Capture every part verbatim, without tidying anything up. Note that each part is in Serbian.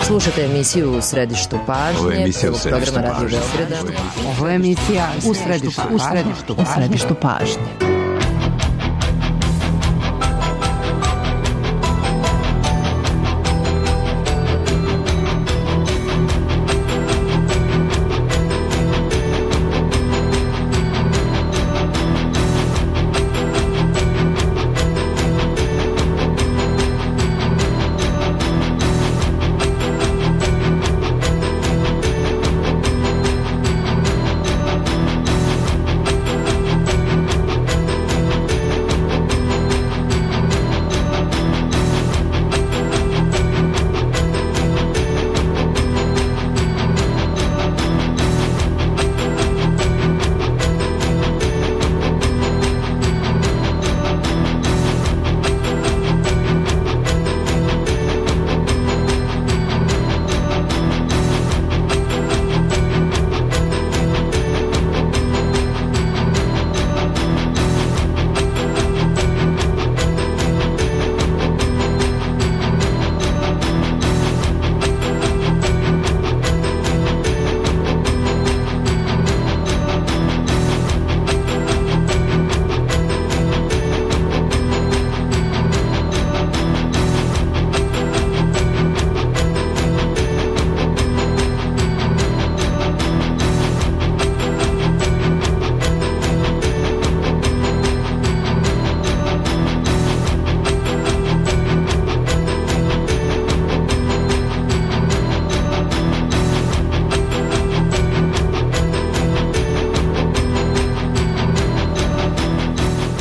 Slušate emisiju U središtu pažnje. Ovo je emisija U središtu programa Radio pažnje. Beograda. Ovo je emisija U središtu, u središtu, u središtu pažnje.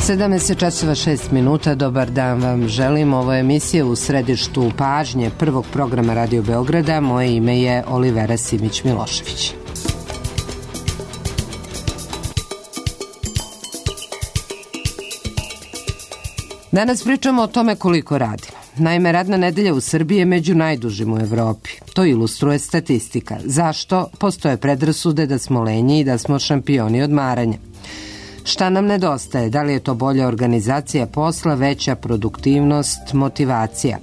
sedamnaest časova šest minuta, dobar dan vam želim. Ovo je emisija U središtu pažnje prvog programa Radio Beograda. Moje ime je Olivera Simić-Milošević. Danas pričamo o tome koliko radimo. Naime, radna nedelja u Srbiji je među najdužim u Evropi. To ilustruje statistika. Zašto? Postoje predrasude da smo lenji i da smo šampioni odmaranja. Šta nam nedostaje? Da li je to bolja organizacija posla, veća produktivnost, motivacija?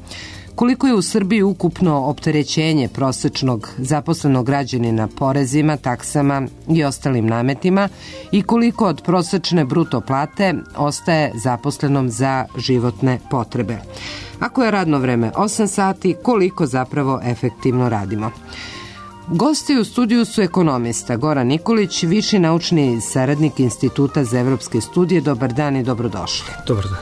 Koliko je u Srbiji ukupno opterećenje prosečnog zaposlenog građanina porezima, taksama i ostalim nametima i koliko od prosečne bruto plate ostaje zaposlenom za životne potrebe? Ako je radno vreme osam sati, koliko zapravo efektivno radimo? Gosti u studiju su ekonomista Goran Nikolić, viši naučni saradnik Instituta za evropske studije. Dobar dan i dobrodošli. Dobar dan.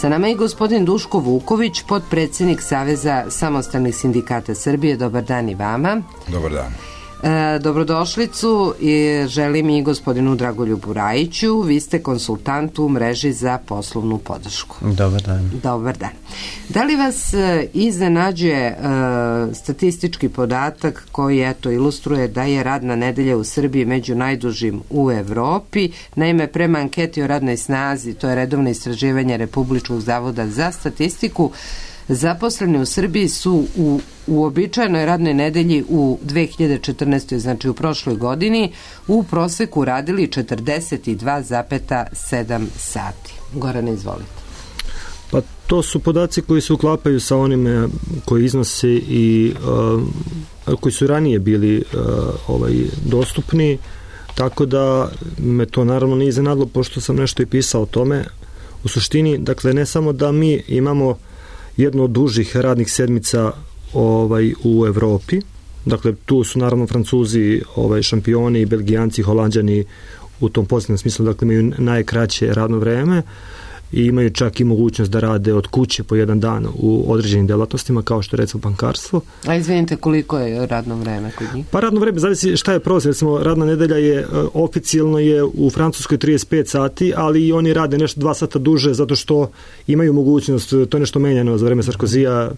Sa nama je gospodin Duško Vuković, potpredsjednik Saveza samostalnih sindikata Srbije. Dobar dan i vama. Dobar dan. E, dobrodošlicu i želim i gospodinu Dragoljubu Rajiću. Vi ste konsultant u mreži za poslovnu podršku. Dobar dan. Dobar dan. Da li vas e, iznenađuje e, statistički podatak koji eto ilustruje da je radna nedelja u Srbiji među najdužim u Evropi? Naime, prema anketi o radnoj snazi, to je redovno istraživanje Republičkog zavoda za statistiku, zaposleni u Srbiji su u uobičajenoj radnoj nedelji u dve hiljade četrnaestoj. znači u prošloj godini, u proseku radili četrdeset dva zarez sedam sati. Gorane, izvolite. Pa to su podaci koji se uklapaju sa onime koji iznose i uh, koji su ranije bili uh, ovaj, dostupni, tako da me to naravno nije iznenadilo, pošto sam nešto i pisao o tome. U suštini, dakle, ne samo da mi imamo jednu od dužih radnih sedmica ovaj, u Evropi, dakle tu su naravno Francuzi ovaj, šampioni, Belgijanci, Holanđani u tom pozitivnom smislu, dakle imaju najkraće radno vreme i imaju čak i mogućnost da rade od kuće po jedan dan u određenim delatnostima, kao što je recimo bankarstvo. A izvinite, koliko je radno vreme kod njih? Pa radno vreme, zavisi šta je prosjek. Recimo, radna nedelja je, oficijalno je u Francuskoj trideset pet sati, ali i oni rade nešto dva sata duže, zato što imaju mogućnost, to je nešto menjano za vreme Sarkozija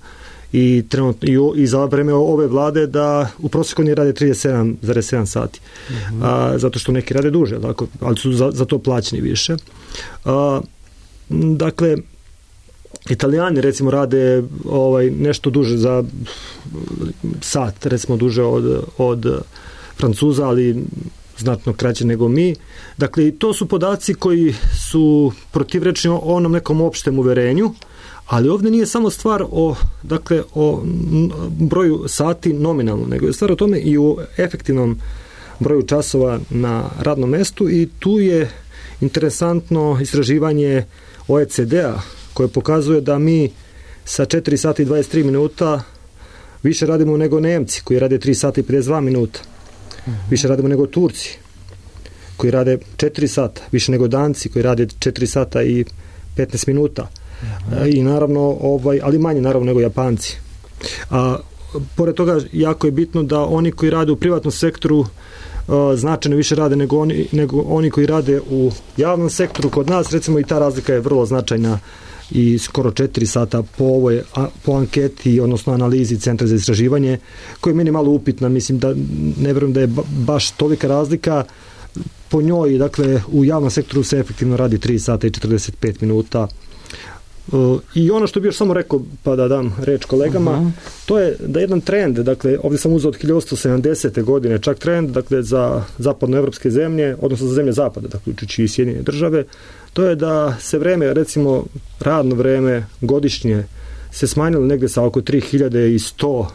i, trenutno, i, i za vreme ove vlade, da u prosjeku oni rade trideset sedam zarez sedam sati. Mm-hmm. A, zato što neki rade duže, tako, ali su za, za to plaćeni više. A, Dakle, Italijani recimo rade ovaj, nešto duže za sat, recimo duže od, od Francuza, ali znatno kraće nego mi. Dakle, to su podaci koji su protivrečni onom nekom opštem uverenju, Ali ovdje nije samo stvar o, dakle, o broju sati nominalno, nego je stvar o tome i o efektivnom broju časova na radnom mestu i tu je interesantno istraživanje O E C D-a koje pokazuje da mi sa četiri sata i dvadeset tri minuta više radimo nego Nemci koji rade tri sata i pedeset dva minuta. Više radimo nego Turci koji rade četiri sata, više nego Danci koji rade četiri sata i petnaest minuta. I naravno, ovaj, ali manje naravno nego Japanci. A pored toga jako je bitno da oni koji rade u privatnom sektoru uh, značajno više rade nego oni, nego oni koji rade u javnom sektoru. Kod nas recimo i ta razlika je vrlo značajna i skoro četiri sata po ovoj po anketi, odnosno analizi Centra za istraživanje, koja je meni malo upitna. Mislim da ne vjerujem da je baš tolika razlika. Po njoj, dakle, u javnom sektoru se efektivno radi tri sata i četrdeset pet minuta. Uh, I ono što bih još samo rekao, pa da dam reč kolegama, uh-huh. to je da jedan trend, dakle, ovdje sam uzeo od hiljadu osamsto sedamdesete godine, čak trend, dakle, za zapadnoevropske zemlje, odnosno za zemlje zapada, dakle, uključujući i Sjedinjene države, to je da se vreme, recimo, radno vreme godišnje se smanjilo negdje sa oko tri hiljade sto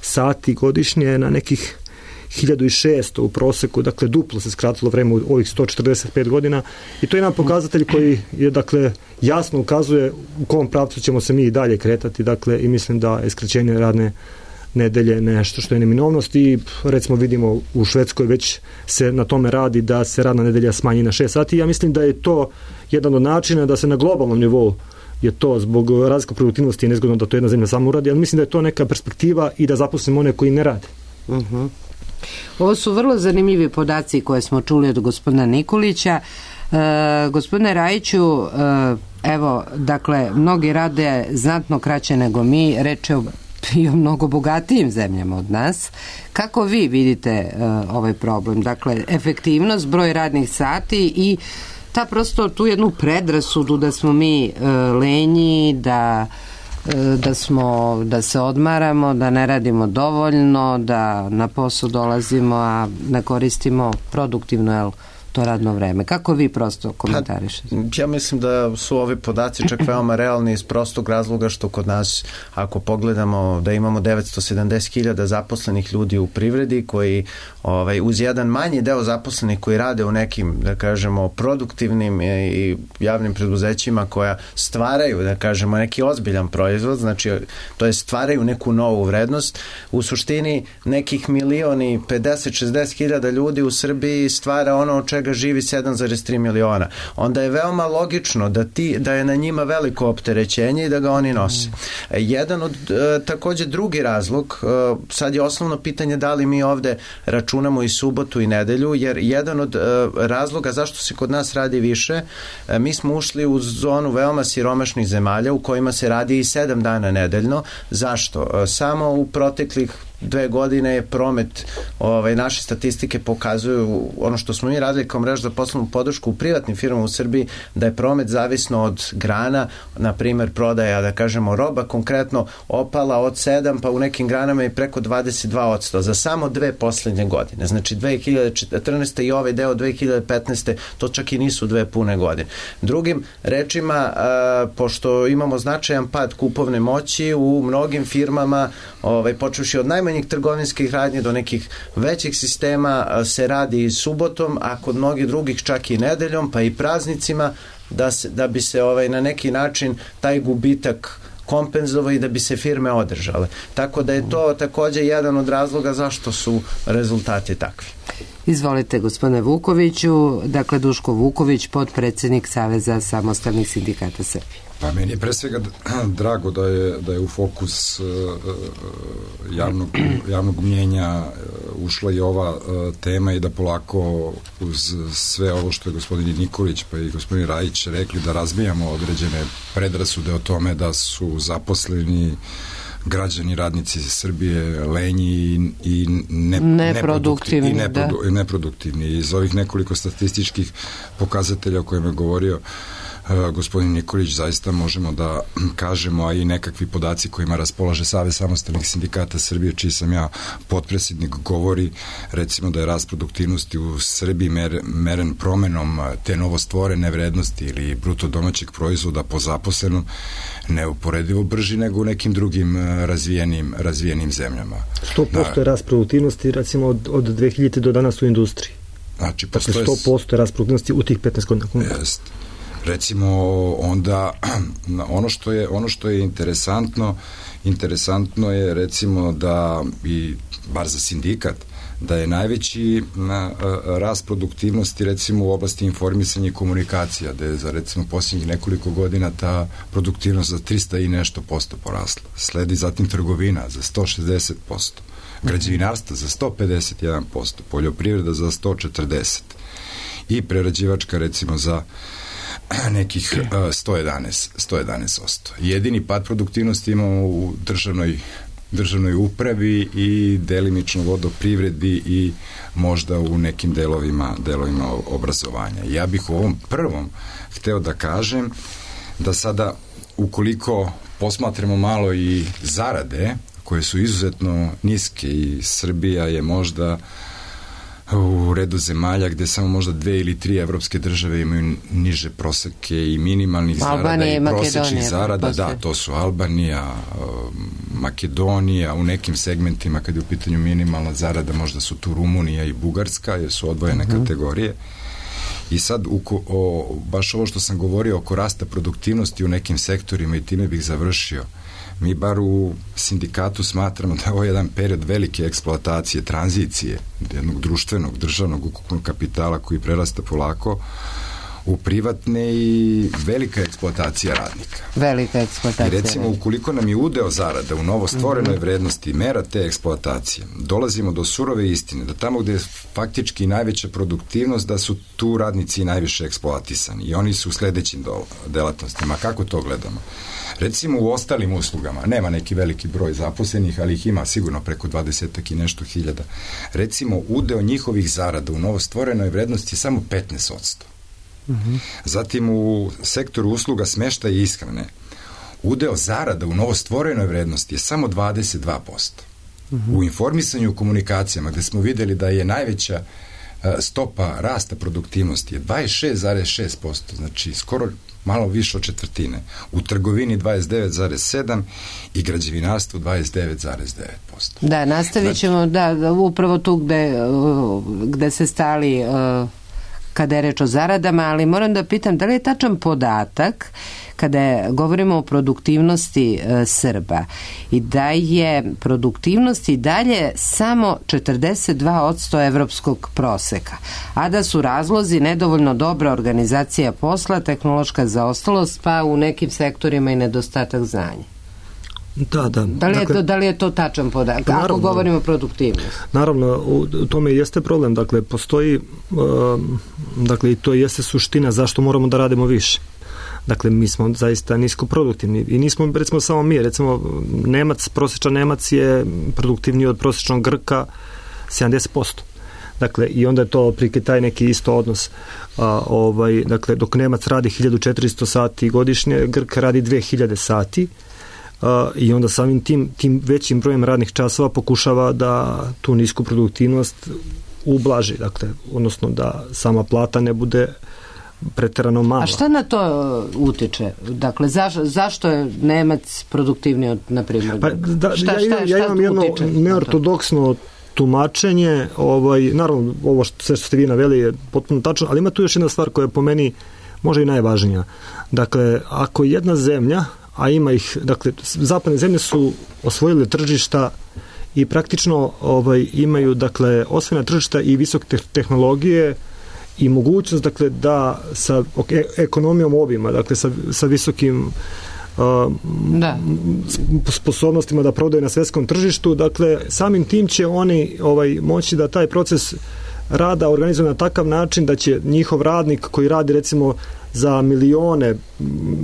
sati godišnje na nekih hiljadu šesto u proseku, dakle duplo se skratilo vreme u ovih sto četrdeset pet godina i to je jedan pokazatelj koji je, dakle, jasno ukazuje u kom pravcu ćemo se mi i dalje kretati, dakle, i mislim da je skraćenje radne nedelje nešto što je neminovnost i recimo vidimo u Švedskoj već se na tome radi da se radna nedelja smanji na šest sati. Ja mislim da je to jedan od načina da se na globalnom nivou je to zbog razlike produktivnosti je nezgodno da to jedna zemlja samo uradi, ali mislim da je to neka perspektiva i da zaposlimo one koji ne rade. Uh-huh. Ovo su vrlo zanimljivi podaci koje smo čuli od gospodina Nikolića. E, gospodine Rajiću, e, evo, dakle, mnogi rade znatno kraće nego mi, reče o, i o mnogo bogatijim zemljama od nas. Kako vi vidite e, ovaj problem? Dakle, efektivnost, broj radnih sati i ta prosto tu jednu predrasudu da smo mi e, lenji, da da smo, da se odmaramo, da ne radimo dovoljno, da na posao dolazimo, a ne koristimo produktivno, jel, to radno vreme. Kako vi prosto komentarišete? Pa, ja mislim da su ovi podaci čak veoma realni iz prostog razloga što kod nas, ako pogledamo da imamo devetsto sedamdeset hiljada zaposlenih ljudi u privredi koji ovaj, uz jedan manji deo zaposlenih koji rade u nekim, da kažemo, produktivnim i javnim preduzećima koja stvaraju, da kažemo, neki ozbiljan proizvod, znači to je stvaraju neku novu vrednost. U suštini nekih milioni pedeset šezdeset hiljada ljudi u Srbiji stvara ono od čega živi sedam zarez tri miliona. Onda je veoma logično da, ti, da je na njima veliko opterećenje i da ga oni nose. Jedan od, e, također drugi razlog, e, sad je osnovno pitanje da li mi ovde računamo i subotu i nedelju, jer jedan od e, razloga zašto se kod nas radi više, e, mi smo ušli u zonu veoma siromašnih zemalja u kojima se radi i sedam dana nedeljno. Zašto? E, samo u proteklih dve godine je promet, ovaj, naše statistike pokazuju ono što smo mi radili kao mreža za poslovnu podršku u privatnim firmama u Srbiji, da je promet zavisno od grana, na primjer prodaja, da kažemo, roba konkretno opala od sedam, pa u nekim granama i preko dvadeset dva posto za samo dve poslednje godine. Znači dve hiljade četrnaeste i ovaj deo dve hiljade petnaeste to čak i nisu dve pune godine. Drugim rečima, a, pošto imamo značajan pad kupovne moći u mnogim firmama, ovaj, počevši od najmanjih trgovinskih radnji do nekih većih sistema se radi i subotom, a kod mnogih drugih čak i nedeljom, pa i praznicima, da, se, da bi se ovaj, na neki način taj gubitak kompenzovao i da bi se firme održale. Tako da je to također jedan od razloga zašto su rezultati takvi. Izvolite, gospodine Vukoviću, dakle Duško Vuković, potpredsjednik Saveza samostalnih sindikata Srbije. Pa meni je pre svega drago da je, da je u fokus uh, javnog, javnog mnjenja ušla i ova uh, tema i da polako uz sve ovo što je gospodin Nikolić pa i gospodin Rajić rekli da razbijamo određene predrasude o tome da su zaposleni građani, radnici Srbije lenji i, i ne, neproduktivni, i neprodu, da. neproduktivni. Iz ovih nekoliko statističkih pokazatelja o kojima je govorio gospodin Nikolić, zaista možemo da kažemo, a i nekakvi podaci kojima raspolaže Savez samostalnih sindikata Srbije, čiji sam ja potpredsjednik, govori recimo da je rast produktivnosti u Srbiji mer, meren promenom te novostvorene vrednosti ili bruto domaćeg proizvoda po zaposlenom neuporedivo brži nego u nekim drugim razvijenim, razvijenim zemljama. sto posto je rast produktivnosti recimo od, od dve hiljade do danas u industriji. Znači, dakle, sto posto je rast produktivnosti u tih petnaest godina. Jest. Recimo, onda ono što je, ono što je interesantno, interesantno je recimo da, i bar za sindikat, da je najveći na, rast produktivnosti recimo u oblasti informisanja i komunikacija, da je za recimo posljednjih nekoliko godina ta produktivnost za trista i nešto posto porasla. Sledi zatim trgovina za sto šezdeset posto, građevinarstvo za sto pedeset jedan posto, poljoprivreda za sto četrdeset i prerađivačka recimo za nekih sto jedanaest posto. Jedini pad produktivnosti imamo u državnoj državnoj upravi i delimično vodoprivredi i možda u nekim delovima, delovima obrazovanja. Ja bih u ovom prvom hteo da kažem da sada, ukoliko posmatramo malo i zarade, koje su izuzetno niske i Srbija je možda u redu zemalja gde samo možda dve ili tri evropske države imaju niže proseke i minimalnih zarada i prosečnih zarada. Da, to su Albanija, Makedonija, u nekim segmentima kad je u pitanju minimalna zarada možda su tu Rumunija i Bugarska, jer su odvojene uh-huh. kategorije. I sad, uko, o, baš ovo što sam govorio oko rasta produktivnosti u nekim sektorima i time bih završio. Mi bar u sindikatu smatramo da je ovo jedan period velike eksploatacije, tranzicije jednog društvenog, državnog ukupnog kapitala koji prerasta polako u privatne i velika eksploatacija radnika. Velika eksploatacija. I recimo, ukoliko nam je udeo zarada u novostvorenoj mm-hmm. vrednosti mera te eksploatacije, dolazimo do surove istine, da tamo gde je faktički najveća produktivnost, da su tu radnici najviše eksploatisani i oni su u sledećim delatnostima. Kako to gledamo? Recimo u ostalim uslugama, nema neki veliki broj zaposlenih, ali ih ima sigurno preko dvadesetak i nešto hiljada. Recimo, udeo njihovih zarada u novostvorenoj vrednosti je samo petnaest posto. Uh-huh. Zatim u sektoru usluga smeštaja i ishrane udeo zarada u novostvorenoj vrednosti je samo dvadeset dva posto. Uh-huh. U informisanju i komunikacijama, gde smo videli da je najveća uh, stopa rasta produktivnosti je dvadeset šest zarez šest posto, znači skoro malo više od četvrtine. U trgovini dvadeset devet zarez sedam i građevinarstvu dvadeset devet zarez devet posto. Da, nastavit ćemo znači, da, da, upravo tu gde, gde se stali uh, kada je reč o zaradama, ali moram da pitam da li je tačan podatak kada govorimo o produktivnosti e, Srba i da je produktivnost i dalje samo četrdeset dva posto evropskog proseka, a da su razlozi nedovoljno dobra organizacija posla, tehnološka zaostalost, pa u nekim sektorima i nedostatak znanja. Da, da. Da li, dakle, je to, da li je to tačan podatak? Kako naravno, govorimo o produktivnosti? Naravno, u tome jeste problem. Dakle, postoji, uh, dakle, i to jeste suština zašto moramo da radimo više. Dakle, mi smo zaista nisko produktivni i nismo, recimo, samo mi. Recimo, Nemac, prosječan Nemac je produktivniji od prosječnog Grka sedamdeset posto. Dakle, i onda je to prike taj neki isto odnos. A, ovaj, dakle, dok Nemac radi hiljadu četiristo sati godišnje, Grk radi dve hiljade sati. Uh, i onda samim tim, tim većim brojem radnih časova pokušava da tu nisku produktivnost ublaži, dakle, odnosno da sama plata ne bude preterano mala. A šta na to utiče? Dakle, zaš, zašto je Nemac produktivniji od, na primjer? Pa, da, šta, ja, šta, šta ja imam jedno neortodoksno tumačenje, ovaj, naravno, ovo što, sve što ste vi naveli je potpuno tačno, ali ima tu još jedna stvar koja je po meni možda i najvažnija. Dakle, ako jedna zemlja, a ima ih, dakle, zapadne zemlje su osvojile tržišta i praktično ovaj, imaju, dakle, osvojena tržišta i visoke tehnologije i mogućnost, dakle, da sa okay, ekonomijom obima, dakle, sa, sa visokim uh, da. sposobnostima da prodaju na svetskom tržištu, dakle, samim tim će oni ovaj, moći da taj proces rada organizuje na takav način da će njihov radnik koji radi, recimo, za milione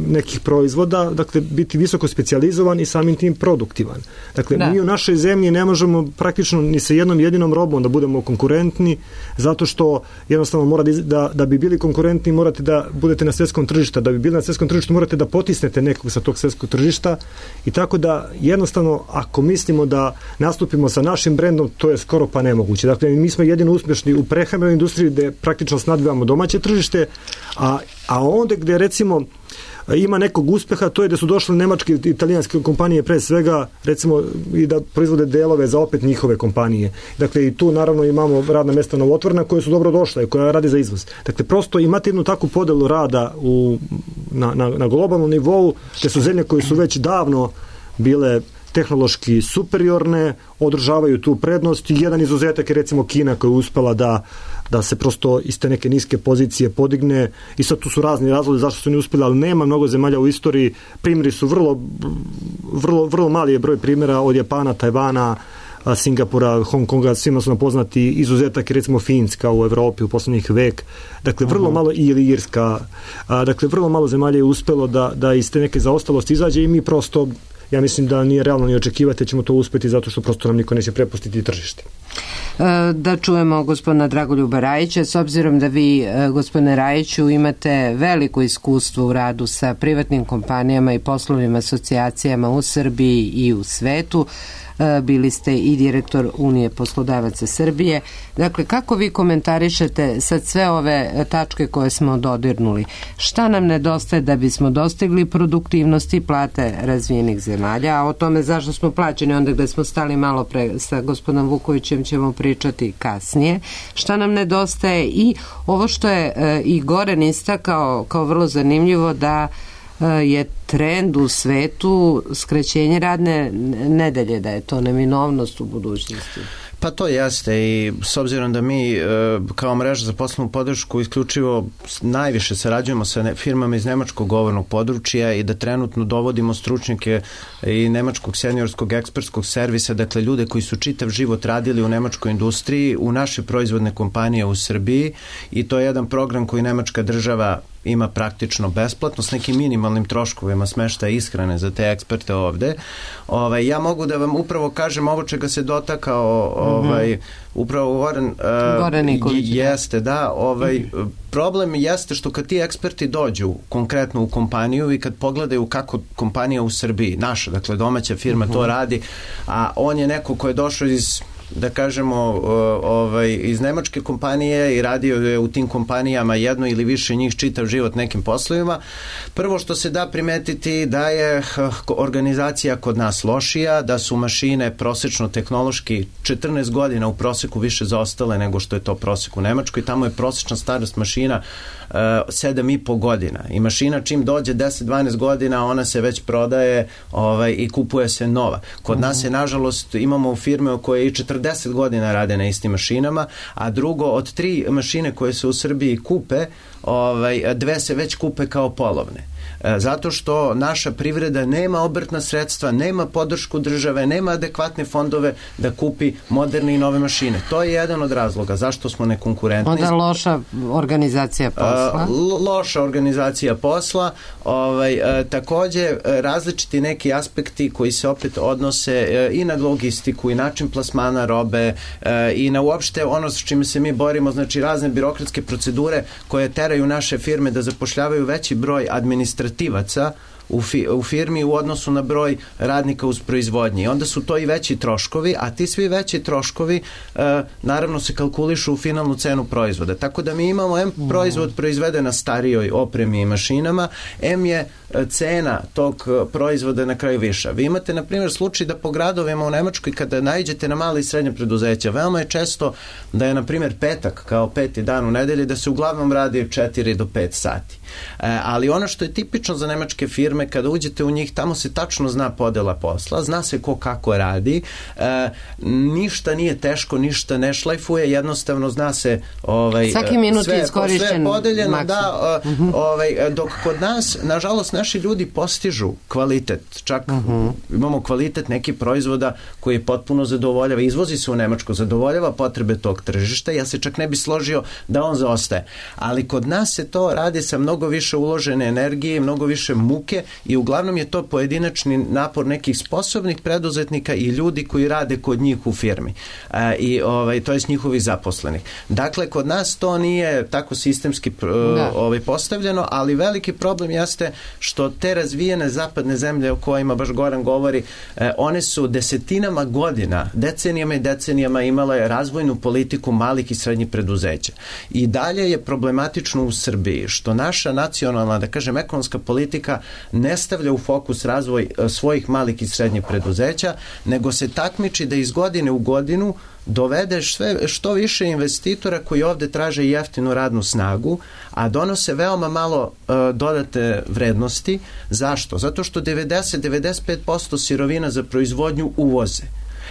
nekih proizvoda, dakle biti visoko specijalizovan i samim tim produktivan. Dakle, da. Mi u našoj zemlji ne možemo praktično ni sa jednom jedinom robom da budemo konkurentni, zato što jednostavno mora da, da bi bili konkurentni morate da budete na svetskom tržištu, da bi bili na svetskom tržištu morate da potisnete nekog sa tog svetskog tržišta i tako da jednostavno ako mislimo da nastupimo sa našim brendom, to je skoro pa nemoguće. Dakle, mi smo jedino uspješni u prehrambenoj industriji gde praktično snadbivamo domaće tržište, a, a onda gde recimo ima nekog uspeha, to je da su došle nemačke i italijanske kompanije pre svega, recimo i da proizvode delove za opet njihove kompanije. Dakle, i tu naravno imamo radna mesta novotvorna koje su dobro došle, koja radi za izvoz. Dakle, prosto imate jednu takvu podelu rada u, na, na, na globalnom nivou, te su zemlje koje su već davno bile tehnološki superiorne, održavaju tu prednost i jedan izuzetak je recimo Kina koja je uspela da da se prosto iz te neke niske pozicije podigne i sad tu su razni razlozi zašto su ne uspjeli, ali nema mnogo zemalja u istoriji, primjeri su vrlo vrlo, vrlo mali je broj primjera od Japana, Tajvana, Singapura, Hong Konga, svima su nam poznati, izuzetak je recimo Finska u Evropi u poslednjih vek, dakle vrlo uh-huh. malo, ili Irska, a, dakle vrlo malo zemalja je uspjelo da, da iz te neke zaostalosti izađe i mi prosto, ja mislim da nije realno ni očekivati, ćemo to uspjeti zato što prosto nam niko neće prepustiti tržište. Da čujemo gospodina Dragoljuba Rajića, s obzirom da vi, gospodine Rajiću, imate veliko iskustvo u radu sa privatnim kompanijama i poslovnim asocijacijama u Srbiji i u svetu, bili ste i direktor Unije poslodavaca Srbije. Dakle, kako vi komentarišete sad sve ove tačke koje smo dodirnuli? Šta nam nedostaje da bismo dostigli produktivnost i plate razvijenih zemalja? A o tome zašto smo plaćeni, onda gde smo stali malo pre sa gospodinom Vukovićem ćemo pričati kasnije. Šta nam nedostaje i ovo što je i Goran istakao kao vrlo zanimljivo, da je trend u svetu skraćenje radne nedelje, da je to neminovnost u budućnosti. Pa to jeste i s obzirom da mi kao mreža za poslovnu podršku isključivo najviše sarađujemo sa firmama iz nemačkog govornog područja i da trenutno dovodimo stručnjake i nemačkog seniorskog ekspertskog servisa, dakle ljude koji su čitav život radili u nemačkoj industriji, u naše proizvodne kompanije u Srbiji i to je jedan program koji nemačka država ima praktično besplatno s nekim minimalnim troškovima smeštaja ishrane za te eksperte ovde. Ovaj, ja mogu da vam upravo kažem ovo čega se dotakao ovaj, mm-hmm. upravo Goran, uh, jeste, da, ovaj, mm-hmm. problem jeste što kad ti eksperti dođu konkretno u kompaniju i kad pogledaju kako kompanija u Srbiji, naša, dakle domaća firma mm-hmm. to radi, a on je neko ko je došao iz da kažemo ovaj, iz nemačke kompanije i radio je u tim kompanijama jedno ili više njih čitav život nekim poslovima. Prvo što se da primetiti da je organizacija kod nas lošija, da su mašine prosečno tehnološki četrnaest godina u proseku više zaostale nego što je to prosek u Nemačkoj. Tamo je prosečna starost mašina uh, sedam i po godina i mašina čim dođe deset do dvanaest godina ona se već prodaje ovaj, i kupuje se nova. Kod uh-huh. nas je nažalost imamo firme koje i četrdeset godina rade na istim mašinama, a drugo od tri mašine koje se u Srbiji kupe, ovaj, dve se već kupe kao polovne. Zato što naša privreda nema obrtna sredstva, nema podršku države, nema adekvatne fondove da kupi moderne i nove mašine. To je jedan od razloga zašto smo nekonkurentni. Onda loša organizacija posla. Loša organizacija posla. Ovaj, takođe, različiti neki aspekti koji se opet odnose i na logistiku i način plasmana robe i na uopšte ono s čime se mi borimo, znači razne birokratske procedure koje teraju naše firme da zapošljavaju veći broj administrativnih U, fi, u firmi u odnosu na broj radnika uz proizvodnji. Onda su to i veći troškovi, a ti svi veći troškovi e, naravno se kalkulišu u finalnu cenu proizvoda. Tako da mi imamo M proizvod proizveden na starijoj opremi i mašinama, M je cena tog proizvoda na kraju viša. Vi imate, na primjer, slučaj da po gradovima u Nemačkoj kada naiđete na male i srednje preduzeća, veoma je često da je, na primjer, petak kao peti dan u nedelji, da se uglavnom radi četiri do pet sati. E, ali ono što je tipično za nemačke firme firme, kada uđete u njih, tamo se tačno zna podela posla, zna se ko kako radi, e, ništa nije teško, ništa ne šlajfuje, jednostavno zna se ovaj, svaki minut sve, je iskorišćen sve podeljeno, maksimum. da, uh, ovaj, dok kod nas, nažalost, naši ljudi postižu kvalitet, čak uh-huh. imamo kvalitet nekih proizvoda koji potpuno zadovoljava, izvozi se u Nemačku, zadovoljava potrebe tog tržišta, ja se čak ne bi složio da on zaostaje, ali kod nas se to radi sa mnogo više uložene energije, mnogo više muke i uglavnom je to pojedinačni napor nekih sposobnih preduzetnika i ljudi koji rade kod njih u firmi e, i ovaj, to je s njihovih zaposlenih. Dakle, kod nas to nije tako sistemski da. ovaj, postavljeno, ali veliki problem jeste što te razvijene zapadne zemlje o kojima baš Goran govori, e, one su desetinama godina, decenijama i decenijama imale razvojnu politiku malih i srednjih preduzeća. I dalje je problematično u Srbiji što naša nacionalna, da kažem, ekonomska politika ne stavlja u fokus razvoj e, svojih malih i srednjih preduzeća, nego se takmiči da iz godine u godinu dovedeš sve što više investitora koji ovde traže jeftinu radnu snagu, a donose veoma malo e, dodate vrednosti. Zašto? Zato što devedeset do devedeset pet posto sirovina za proizvodnju uvoze.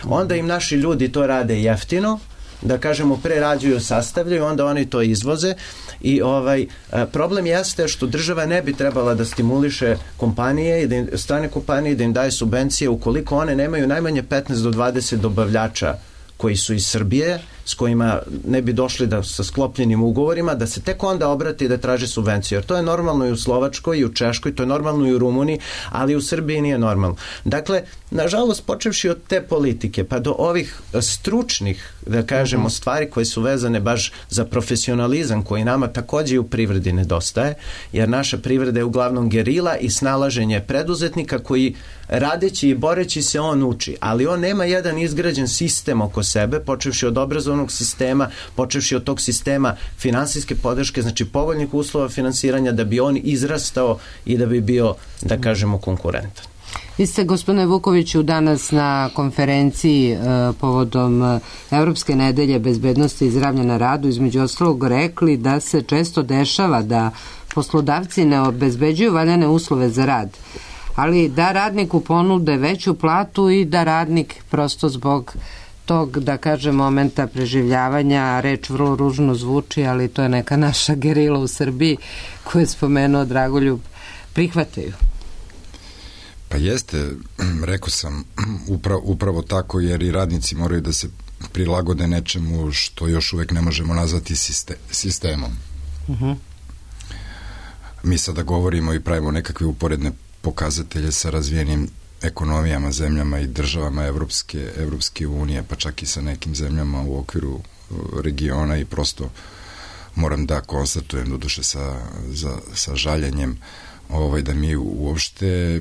Onda im naši ljudi to rade jeftino, da kažemo prerađuju, sastavljaju, onda oni to izvoze i ovaj problem jeste što država ne bi trebala da stimuliše kompanije i da im, strane kompanije da im daje subvencije ukoliko one nemaju najmanje petnaest do dvadeset dobavljača koji su iz Srbije, s kojima ne bi došli da sa sklopljenim ugovorima, da se tek onda obrati da traže subvenciju. Jer to je normalno i u Slovačkoj i u Češkoj, to je normalno i u Rumuniji, ali u Srbiji nije normalno. Dakle, nažalost, počevši od te politike, pa do ovih stručnih, da kažemo, stvari koje su vezane baš za profesionalizam, koji nama takođe u privredi nedostaje, jer naša privreda je uglavnom gerila i snalaženje preduzetnika koji radeći i boreći se on uči, ali on nema jedan izgrađen sistem oko sebe, počevši od obrazovnog sistema, počevši od tog sistema finansijske podrške, znači povoljnih uslova finansiranja da bi on izrastao i da bi bio, da kažemo, konkurentan. Vi ste, gospodine Vukoviću, danas na konferenciji e, povodom Evropske nedelje bezbednosti i zdravlja na radu između ostalog rekli da se često dešava da poslodavci ne obezbeđuju valjane uslove za rad, ali da radniku ponude veću platu i da radnik prosto zbog tog, da kažem, momenta preživljavanja, reč vrlo ružno zvuči, ali to je neka naša gerila u Srbiji koju je spomenuo Dragoljub, prihvataju. Pa jeste, rekao sam, upravo, upravo tako, jer i radnici moraju da se prilagode nečemu što još uvek ne možemo nazvati siste, sistemom. Uh-huh. Mi sada govorimo i pravimo nekakve uporedne pokazatelje sa razvijenim ekonomijama, zemljama i državama Evropske, Evropske unije, pa čak i sa nekim zemljama u okviru regiona i prosto moram da konstatujem, doduše sa, za, sa žaljenjem, ovaj, da mi uopšte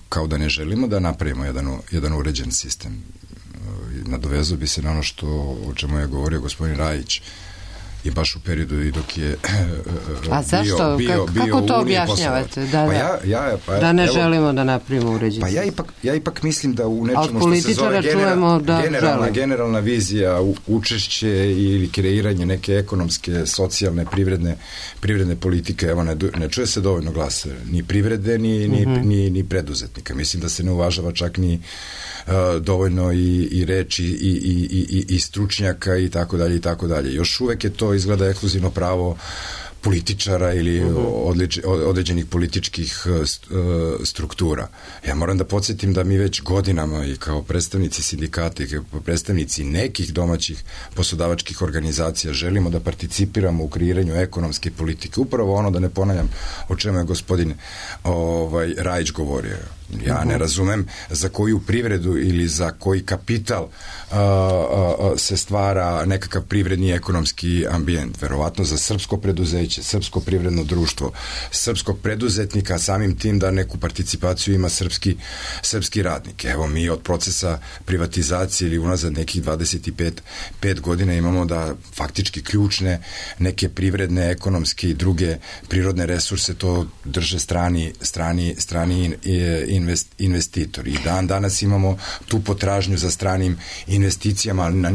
kao da ne želimo da napravimo jedan, jedan uređen sistem. Nadovezao bi se na ono što, o čemu je govorio gospodin Rajić, i baš u periodu i dok je A zašto? bio, bio, bio kako to objašnjavate? Da, pa da. Ja, ja, pa, da ne evo, želimo da napravimo uređenje. Pa ja ipak, ja ipak mislim da u nečemu što se zove genera, da generalna, generalna vizija, učešće ili kreiranje neke ekonomske, socijalne, privredne, privredne politike, evo ne, ne čuje se dovoljno glasa ni privrede, ni, ni, mm-hmm. ni, ni preduzetnika. Mislim da se ne uvažava čak ni uh, dovoljno i, i reči i, i, i, i stručnjaka i tako dalje i tako dalje. Još uvek je to izgleda ekskluzivno pravo političara ili odlič, određenih političkih struktura. Ja moram da podsjetim da mi već godinama i kao predstavnici sindikata i kao predstavnici nekih domaćih poslodavačkih organizacija želimo da participiramo u kreiranju ekonomske politike. Upravo ono, da ne ponavljam o čemu je gospodin ovaj, Rajić govorio. Ja ne razumem za koju privredu ili za koji kapital uh, uh, se stvara nekakav privredni ekonomski ambijent. Verovatno za srpsko preduzeće, srpsko privredno društvo, srpskog preduzetnika, samim tim da neku participaciju ima srpski, srpski radnik. Evo, mi od procesa privatizacije ili unazad nekih dvadeset pet godina imamo da faktički ključne neke privredne, ekonomske i druge prirodne resurse to drže strani, strani, strani in, invest, investitori. I dan danas imamo tu potražnju za stranim investicijama, ali na,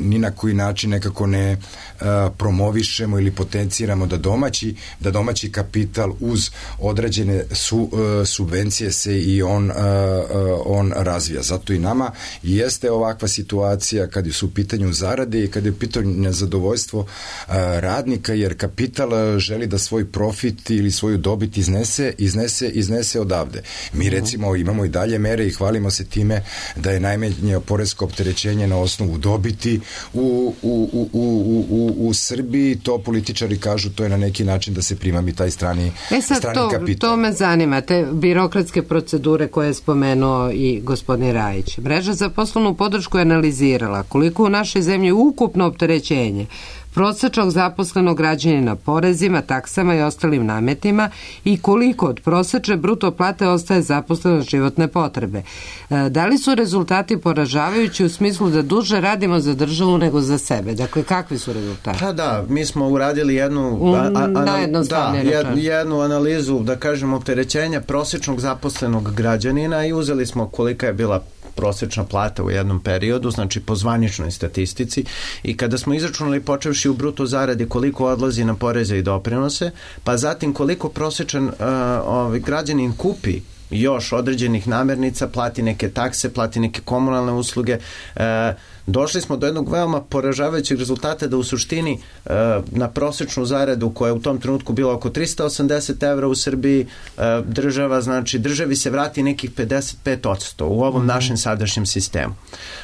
ni na koji način nekako ne a, promovišemo ili potenciramo da domaći, da domaći kapital uz određene su, a, subvencije se i on, a, a, on razvija. Zato i nama jeste ovakva situacija kad su u pitanju zarade i kad je u pitanju nezadovoljstvo a, radnika, jer kapital želi da svoj profit ili svoju dobit iznese, iznese, iznese odavde. Mi recimo imamo i dalje mere i hvalimo se time da je najmanje poresko opterećenje na osnovu dobiti u, u, u, u, u, u Srbiji. To političari kažu, to je na neki način da se primami taj strani, e sad, strani to, kapital. To me zanima, te birokratske procedure koje je spomenuo i gospodin Rajić. Mreža za poslovnu podršku je analizirala koliko u našoj zemlji ukupno opterećenje prosečnog zaposlenog građanina porezima, taksama i ostalim nametima i koliko od prosečne bruto plate ostaje zaposleno životne potrebe. Da li su rezultati poražavajući u smislu da duže radimo za državu nego za sebe? Dakle, kakvi su rezultati? Pa da, mi smo uradili jednu, a, a, a, da, jed, jednu analizu, da kažem, opterećenja prosečnog zaposlenog građanina i uzeli smo kolika je bila prosečna plata u jednom periodu, znači po zvaničnoj statistici, i kada smo izračunali počevši u bruto zaradi koliko odlazi na poreze i doprinose, pa zatim koliko prosečan uh, ovaj, građanin kupi još određenih namirnica, plati neke takse, plati neke komunalne usluge, uh, došli smo do jednog veoma poražavajućeg rezultata da u suštini uh, na prosečnu zaradu koja je u tom trenutku bila oko tristo osamdeset evra u Srbiji, uh, država, znači državi se vrati nekih pedeset pet odsto u ovom našem sadašnjem sistemu.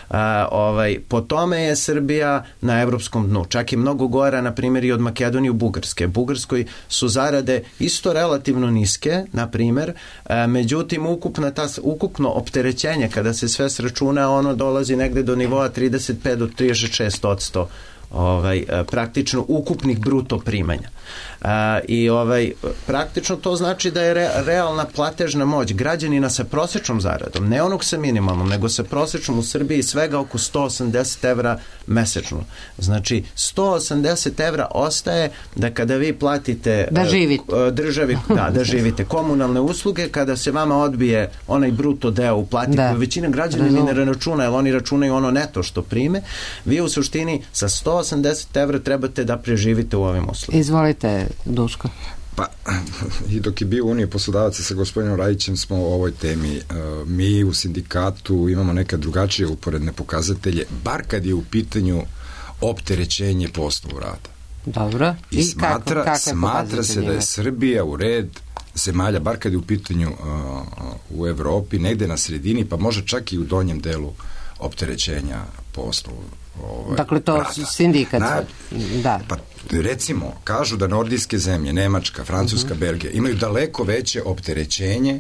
Uh, ovaj, po tome je Srbija na evropskom dnu. Čak je mnogo gora, na primjer, i od Makedonije u Bugarske. Bugarskoj su zarade isto relativno niske, na primjer, uh, međutim ukupna ta, ukupno opterećenje kada se sve sračuna, ono dolazi negde do nivoa trideset pet do trideset šest odsto ovaj, praktično ukupnih bruto primanja. A, i ovaj, praktično to znači da je re, realna platežna moć građanina sa prosečnom zaradom, ne onog sa minimalnom, nego sa prosečnom u Srbiji svega oko sto osamdeset evra mesečno. Znači, sto osamdeset evra ostaje da kada vi platite da živite. državi, da, da živite komunalne usluge, kada se vama odbije onaj bruto deo uplati, da. Koju većina građana ni ne računa, jer oni računaju ono neto što prime, vi u suštini sa sto osamdeset evra trebate da preživite u ovim uslugama. Izvolite, Duško. Pa, i dok je bio Unije poslodavaca sa gospodinom Rajićem smo o ovoj temi. Mi u sindikatu imamo neke drugačije uporedne pokazatelje, bar kad je u pitanju opterećenje po osnovu rada. Dobro. I, I smatra, kako, smatra se da je Srbija u red zemalja, bar kad je u pitanju uh, u Evropi, negde na sredini, pa može čak i u donjem delu opterećenja po osnovu ovaj, dakle to rada. Sindikat. Na, da. Pa recimo, kažu da nordijske zemlje, Nemačka, Francuska, uh-huh. Belgija, imaju daleko veće opterećenje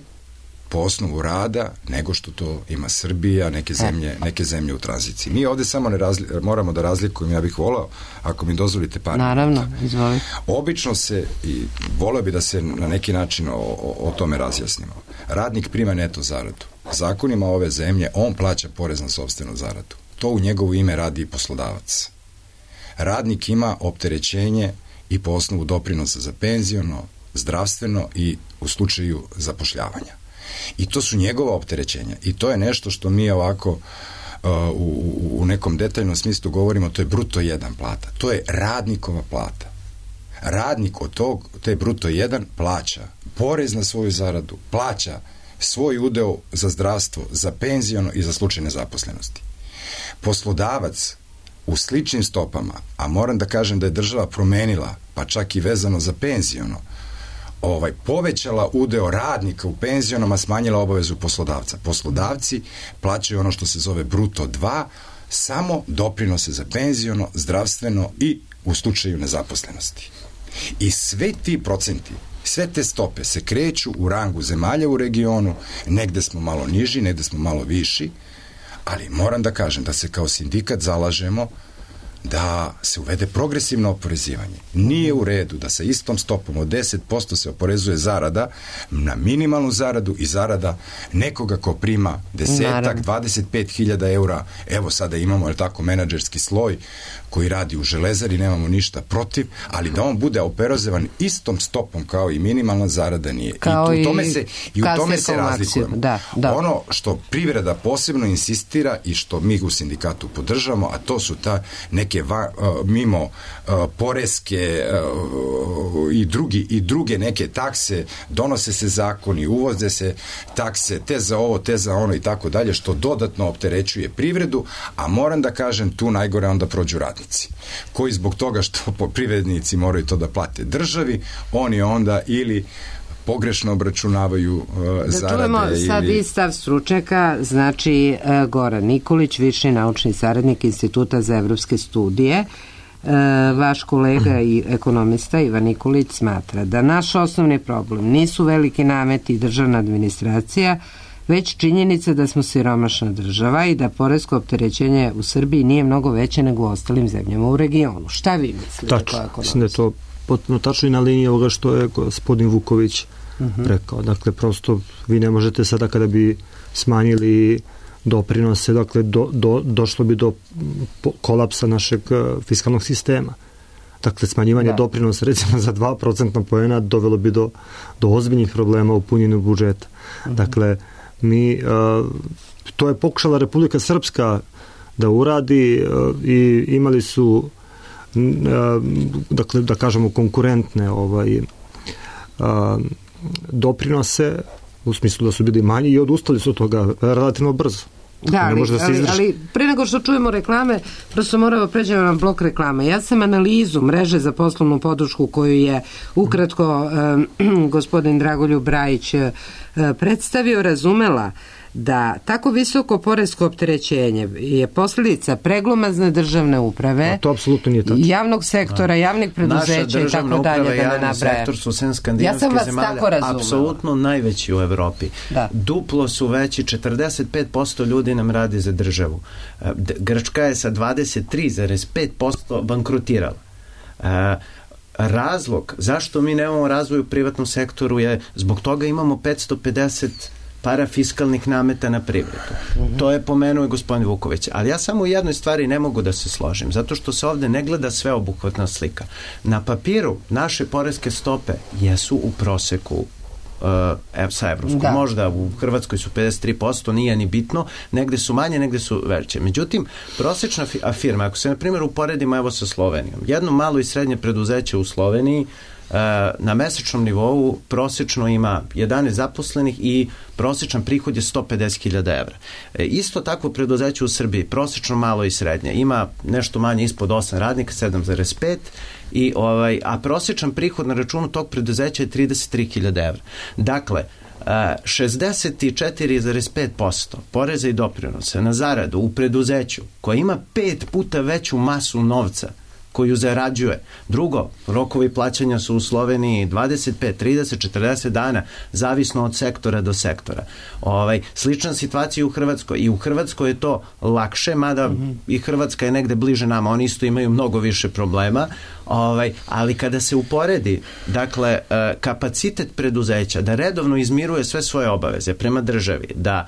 po osnovu rada nego što to ima Srbija, neke zemlje, neke zemlje u tranziciji. Mi ovde samo ne razli, moramo da razlikujemo, ja bih volao, ako mi dozvolite par Naravno, izvoli. Obično se, i voleo bi da se na neki način o, o, o tome razjasnimo. Radnik prima neto zaradu. Zakonima ove zemlje on plaća porez na sopstvenu zaradu. To u njegovo ime radi i poslodavac. Radnik ima opterećenje i po osnovu doprinosa za penziono, zdravstveno i u slučaju zapošljavanja. I to su njegova opterećenja. I to je nešto što mi ovako uh, u, u nekom detaljnom smislu govorimo, to je bruto jedan plata. To je radnikova plata. Radnik od tog, te bruto jedan plaća porez na svoju zaradu, plaća svoj udeo za zdravstvo, za penziono i za slučaj nezaposlenosti. Poslodavac u sličnim stopama, a moram da kažem da je država promenila, pa čak i vezano za penziono, ovaj, povećala udeo radnika u penzionom, a smanjila obavezu poslodavca. Poslodavci plaćaju ono što se zove bruto dva, samo doprinose za penziono, zdravstveno i u slučaju nezaposlenosti. I sve ti procenti, sve te stope se kreću u rangu zemalja u regionu, negde smo malo niži, negde smo malo viši, ali moram da kažem da se kao sindikat zalažemo da se uvede progresivno oporezivanje. Nije u redu da sa istom stopom od deset posto se oporezuje zarada na minimalnu zaradu i zarada nekoga ko prima desetak, dvadeset pet hiljada eura. Evo sada imamo, je tako, menadžerski sloj koji radi u Železari, nemamo ništa protiv, ali da on bude oporezovan istom stopom kao i minimalna zarada nije. Kao I u tome se, i u tome se razlikujemo. Da, da. Ono što privreda posebno insistira i što mi u sindikatu podržamo, a to su ta neke va, uh, mimo uh, poreske uh, i, drugi, i druge neke takse, donose se zakoni, uvoze se takse, te za ovo, te za ono i tako dalje, što dodatno opterećuje privredu, a moram da kažem, tu najgore onda prođu radnici, koji zbog toga što privrednici moraju to da plate državi, oni onda ili pogrešno obračunavaju uh, da zarade. Da čujemo ili... sad i stav stručnjaka, znači uh, Goran Nikolić, viši naučni saradnik Instituta za evropske studije. Uh, vaš kolega i ekonomista Ivan Nikolić smatra da naš osnovni problem nisu veliki nameti i državna administracija, već činjenica da smo siromašna država i da poresko opterećenje u Srbiji nije mnogo veće nego u ostalim zemljama u regionu. Šta vi mislite? Tačno, mislim da je to potpuno tačno i na liniji ovoga što je gospodin Vuković uh-huh. rekao. Dakle, prosto vi ne možete sada kada bi smanjili doprinose, dakle, do, do, došlo bi do kolapsa našeg fiskalnog sistema. Dakle, smanjivanje da. doprinosa recimo za dva procentna poena dovelo bi do, do ozbiljnih problema u punjenju budžeta. Uh-huh. Dakle, mi, uh, to je pokušala Republika Srpska da uradi uh, i imali su uh, dakle, da kažemo konkurentne ovaj, uh, doprinose u smislu da su bili manji i odustali su od toga relativno brzo. Da, ali, da ali, ali pre nego što čujemo reklame, prosto moramo pređemo na blok reklame. Ja sam analizu mreže za poslovnu podršku koju je ukratko eh, gospodin Dragoljub Brajić eh, predstavio, razumela da tako visoko poresko opterećenje je posljedica preglomazne državne uprave, a to apsolutno nije tačno, javnog sektora, javnih preduzeća i tako dalje, da ne nabraja. Sektor su sem skandinavske ja zemalja apsolutno najveći u Evropi. Da. Duplo su veći, četrdeset pet posto ljudi nam radi za državu. Grčka je sa dvadeset tri zarez pet posto bankrotirala. Razlog zašto mi nemamo razvoj u privatnom sektoru je zbog toga imamo petsto pedeset parafiskalnih nameta na privredu. Mm-hmm. To je pomenuo i gospodin Vuković. Ali ja samo u jednoj stvari ne mogu da se složim, zato što se ovde ne gleda sveobuhvatna slika. Na papiru naše poreske stope jesu u proseku uh, sa evropskom. Da. Možda u Hrvatskoj su pedeset tri posto, nije ni bitno, negde su manje, negde su veće. Međutim, prosečna firma, ako se na primjer uporedimo evo sa Slovenijom, jedno malo i srednje preduzeće u Sloveniji na mesečnom nivou prosečno ima jedanaest zaposlenih i prosečan prihod je sto pedeset hiljada evra. E, isto takvo preduzeće u Srbiji, prosečno malo i srednje, ima nešto manje ispod osam radnika, sedam zarez pet, i ovaj, a prosečan prihod na računu tog preduzeća je trideset tri hiljade evra. Dakle, šezdeset četiri zarez pet posto poreza i doprinose na zaradu u preduzeću koja ima pet puta veću masu novca koju zarađuje. Drugo, rokovi plaćanja su u Sloveniji dvadeset pet, trideset, četrdeset dana, zavisno od sektora do sektora. Ovaj, slična situacija u Hrvatskoj. I u Hrvatskoj je to lakše, mada mm-hmm. i Hrvatska je negde bliže nama. Oni isto imaju mnogo više problema. Ovaj, ali kada se uporedi, dakle, kapacitet preduzeća da redovno izmiruje sve svoje obaveze prema državi, da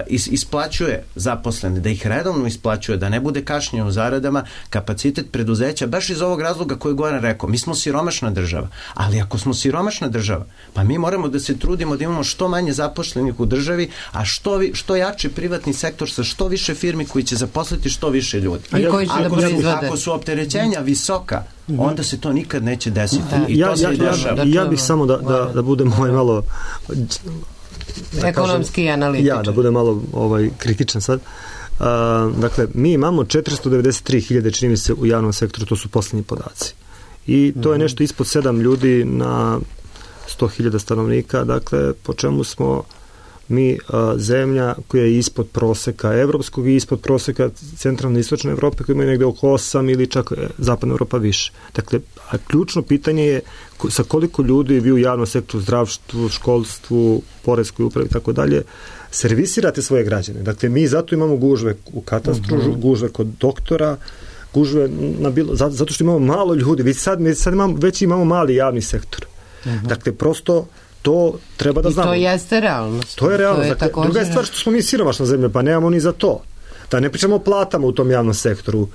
Is, isplaćuje zaposlene, da ih redovno isplaćuje, da ne bude kašnjenja u zaradama, kapacitet preduzeća, baš iz ovog razloga koji je Goran rekao, mi smo siromašna država, ali ako smo siromašna država, pa mi moramo da se trudimo da imamo što manje zaposlenih u državi, a što, vi, što jači privatni sektor sa što više firmi koji će zaposliti što više ljudi. I koji će ako, da su, ako su opterećenja visoka, onda se to nikad neće desiti. Da. I ja, to se ja, dešava. Ja, ja bih samo da, da, da budem ovaj malo Da ekonomski kažem, analitičan. Ja, da budem malo ovaj, kritičan sad. Uh, dakle, mi imamo četiristo devedeset tri hiljade, čini mi se, u javnom sektoru, to su poslednji podaci. I to je nešto ispod sedam ljudi na sto hiljada stanovnika, dakle, po čemu smo mi uh, zemlja koja je ispod proseka evropskog i ispod proseka centralne i istočne Evrope, koja ima negde oko osam ili čak zapadna Evropa više. Dakle, a ključno pitanje je sa koliko ljudi vi u javnom sektoru, zdravstvu, školstvu, poreskoj upravi i tako dalje servisirate svoje građane. Dakle, mi zato imamo gužve u katastru, uh-huh. gužve kod doktora, gužve na bilo, zato što imamo malo ljudi, već sad, sad imamo, već imamo mali javni sektor. Uh-huh. Dakle, prosto to treba da znamo. I to jeste realnost. To je realnost. To je dakle, druga je stvar što smo mi siromašna zemlja, pa nemamo ni za to. Da ne pričamo o platama u tom javnom sektoru.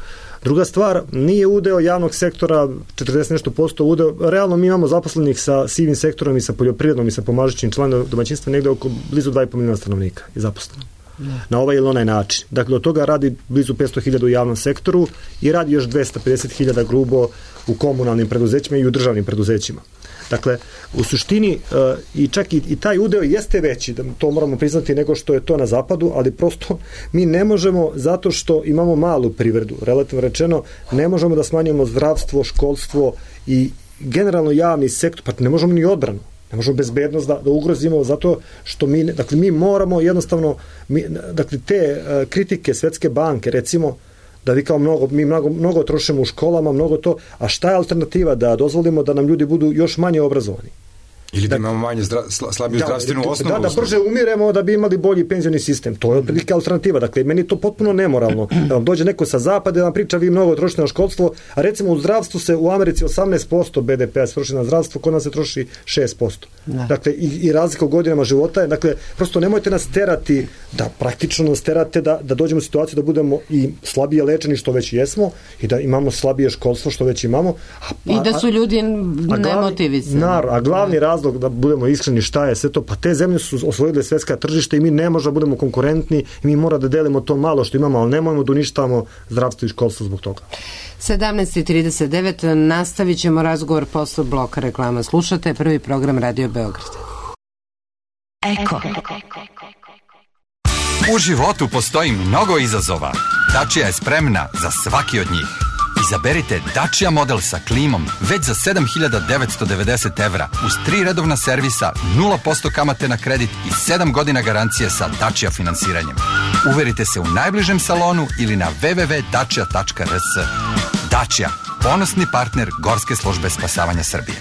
Druga stvar, nije udeo javnog sektora četrdeset nešto posto udeo, realno mi imamo zaposlenih sa sivim sektorom i sa poljoprivrednom i sa pomažućim članom domaćinstva negde oko blizu dva i po miliona stanovnika i zaposlenih. Ne. Na ovaj ili onaj način. Dakle, od toga radi blizu petsto hiljada u javnom sektoru i radi još dvesta pedeset hiljada grubo u komunalnim preduzećima i u državnim preduzećima. Dakle, u suštini uh, i čak i, i taj udeo jeste veći, da to moramo priznati, nego što je to na zapadu, ali prosto mi ne možemo, zato što imamo malu privredu, relativno rečeno, ne možemo da smanjimo zdravstvo, školstvo i generalno javni sektor, pa ne možemo ni odbranu. Ne možemo bezbednost da, da ugrozimo zato što mi, dakle, mi moramo jednostavno, mi, dakle, te uh, kritike Svetske banke, recimo, da vi kao mnogo, mi mnogo, mnogo trošimo u školama, mnogo to, a šta je alternativa? Da dozvolimo da nam ljudi budu još manje obrazovani. Ili da imamo manje zdra, slabiju da, zdravstvenu osnovu. Da, da brže umiremo da bi imali bolji penzioni sistem. To je otprilike alternativa. Dakle, meni je to potpuno nemoralno. Da vam dođe neko sa zapada da vam priča vi mnogo trošite na školstvo, a recimo u zdravstvu se u Americi osamnaest posto be de pe-a se troši na zdravstvo, kod nas se troši šest posto. Da. Dakle, i, i razlika u godinama života je, dakle, prosto nemojte nas terati, da praktično nas terate da, da dođemo u situaciju da budemo i slabije lečeni što već jesmo i da imamo slabije školstvo što već imamo. A, I da su ljudi nemotivisani. A glavni razlog da budemo iskreni šta je sve to, pa te zemlje su osvojile svetska tržište i mi ne možemo da budemo konkurentni i mi mora da delimo to malo što imamo, ali nemojmo da uništavamo zdravstvo i školstvo zbog toga. sedamnaest i trideset devet nastavit ćemo razgovor posle bloka reklama. Slušate prvi program Radio Beograd. Eko. U životu postoji mnogo izazova. Dacia je spremna za svaki od njih. Izaberite Dacia model sa klimom već za sedam hiljada devetsto devedeset evra uz tri redovna servisa, nula posto kamate na kredit i sedam godina garancije sa Dacia finansiranjem. Uverite se u najbližem salonu ili na w w w tačka dacia tačka r s. Dacia, ponosni partner Gorske službe spasavanja Srbije.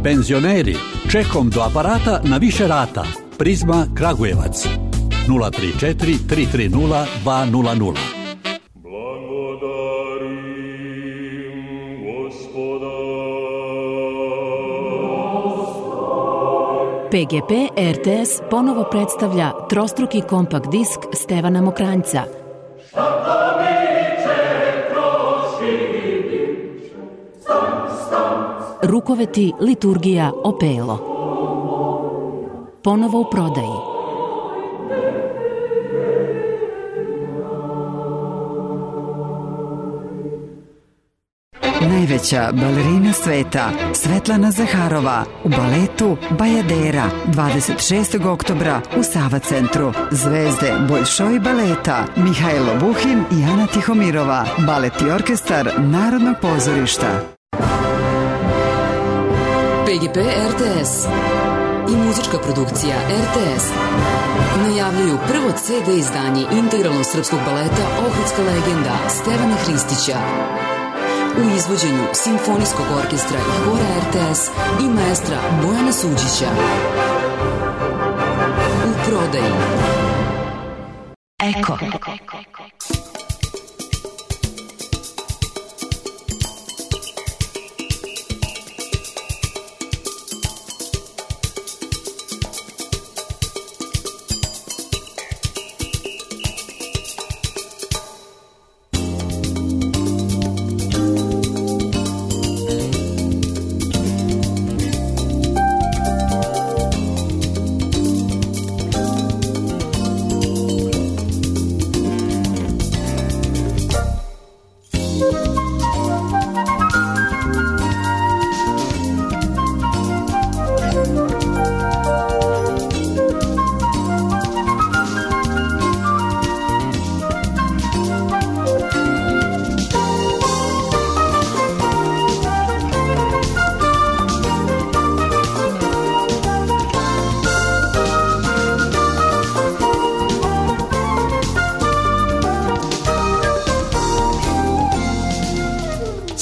Penzioneri, čekom do aparata na više rata. Prizma Kragujevac nula tri četiri tri tri nula dva nula nula. P G P R T S ponovo predstavlja trostruki kompakt disk Stevana Mokranjca. Rukoveti, liturgija, opelo. Ponovo u prodaji. Najveća balerina sveta, Svetlana Zaharova, u baletu Bajadera, dvadeset šestog oktobra u Sava centru. Zvezde Boljšoj baleta, Mihajlo Buhin i Ana Tihomirova, balet i orkestar Narodnog pozorišta. P G P R T S i muzička produkcija R T S najavljuju prvo ce de izdanje integralnog srpskog baleta Ohridska legenda Stevana Hristića u izvođenju Simfonijskog orkestra i hora R T S i maestra Bojana Suđića. U prodaji. Eko.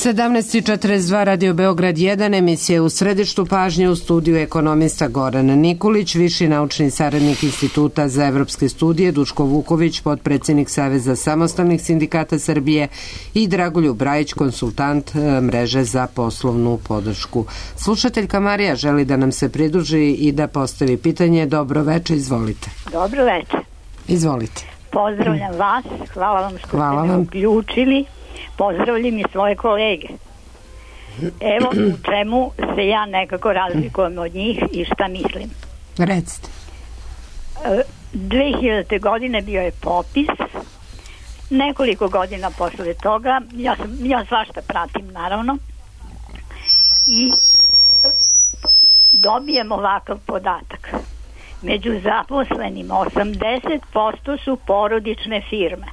sedamnaest i četrdeset dva Radio Beograd jedan, emisija u središtu pažnje, u studiju ekonomista Goran Nikolić, viši naučni saradnik Instituta za evropske studije, Duško Vuković, potpredsjednik Saveza samostalnih sindikata Srbije i Dragoljub Brajić, konsultant mreže za poslovnu podršku. Slušateljka Marija želi da nam se pridruži i da postavi pitanje. Dobro večer, izvolite. Dobro večer. Izvolite. Pozdravljam vas, hvala vam što hvala ste me vam. uključili. Pozdravljam i svoje kolege. Evo u čemu se ja nekako razlikujem od njih i šta mislim. Recite. dve hiljadite. godine bio je popis. Nekoliko godina posle toga, ja, sam, ja svašta pratim naravno, i dobijem ovakav podatak. Među zaposlenim osamdeset posto su porodične firme.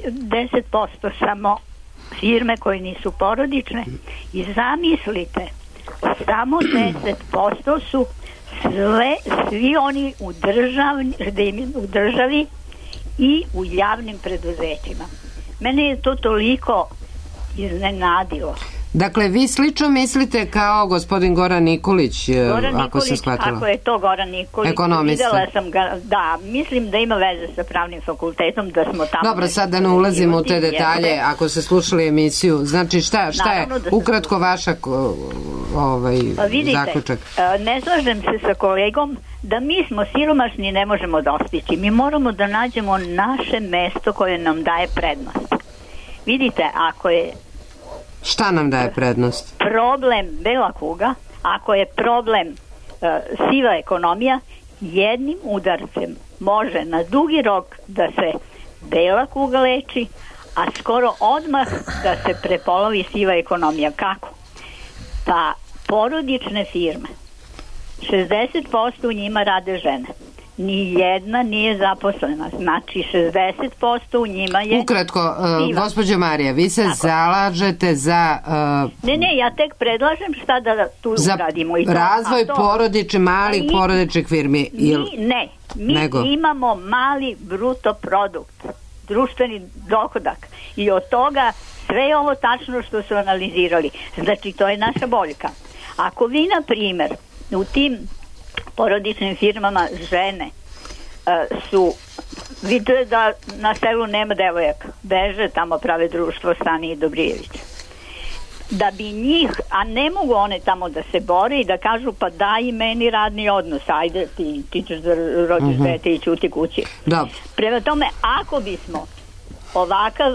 deset posto samo firme koje nisu porodične i zamislite, samo deset posto su sve, svi oni u, državni, u državi i u javnim preduzećima. Mene je to toliko iznenadilo. Dakle, vi slično mislite kao gospodin Goran Nikolić, Goran ako Nikolić, se shvatila. Ako je to Goran Nikolić, ekonomista. Videla sam ga, da, mislim da ima veze sa pravnim fakultetom, da smo tamo... Dobro, sad da ne ulazimo u te detalje, jeste. Ako ste slušali emisiju, znači šta, šta je ukratko vaša ovaj, pa vidite, zaključak? Ne slažem se sa kolegom da mi smo siromašni i ne možemo dostići. Mi moramo da nađemo naše mesto koje nam daje prednost. Vidite, ako je šta nam daje prednost? Problem bela kuga, ako je problem uh, siva ekonomija, jednim udarcem može na dugi rok da se bela kuga leči, a skoro odmah da se prepolovi siva ekonomija. Kako? Pa porodične firme, šezdeset posto u njima rade žene. Ni jedna nije zaposlena, znači šezdeset posto u njima je... Ukratko, uh, gospođo Marija, vi se tako zalažete za... Uh, ne, ne, ja tek predlažem šta da tu za uradimo. I to, razvoj to, porodične, malih porodičnih firmi. Mi, ne, mi nego. imamo mali bruto produkt, društveni dohodak, i od toga sve je ovo tačno što su analizirali. Znači, to je naša boljka. Ako vi, na primjer, u tim porodičnim firmama žene uh, su, vidite da na selu nema devojaka, beže tamo, prave društvo Stani i Dobrijević, da bi njih, a ne mogu one tamo da se bore i da kažu pa daj meni radni odnos, ajde ti, ti ćeš da rođeš uh-huh. dete i ćuti kući. Da. Prema tome, ako bismo ovakav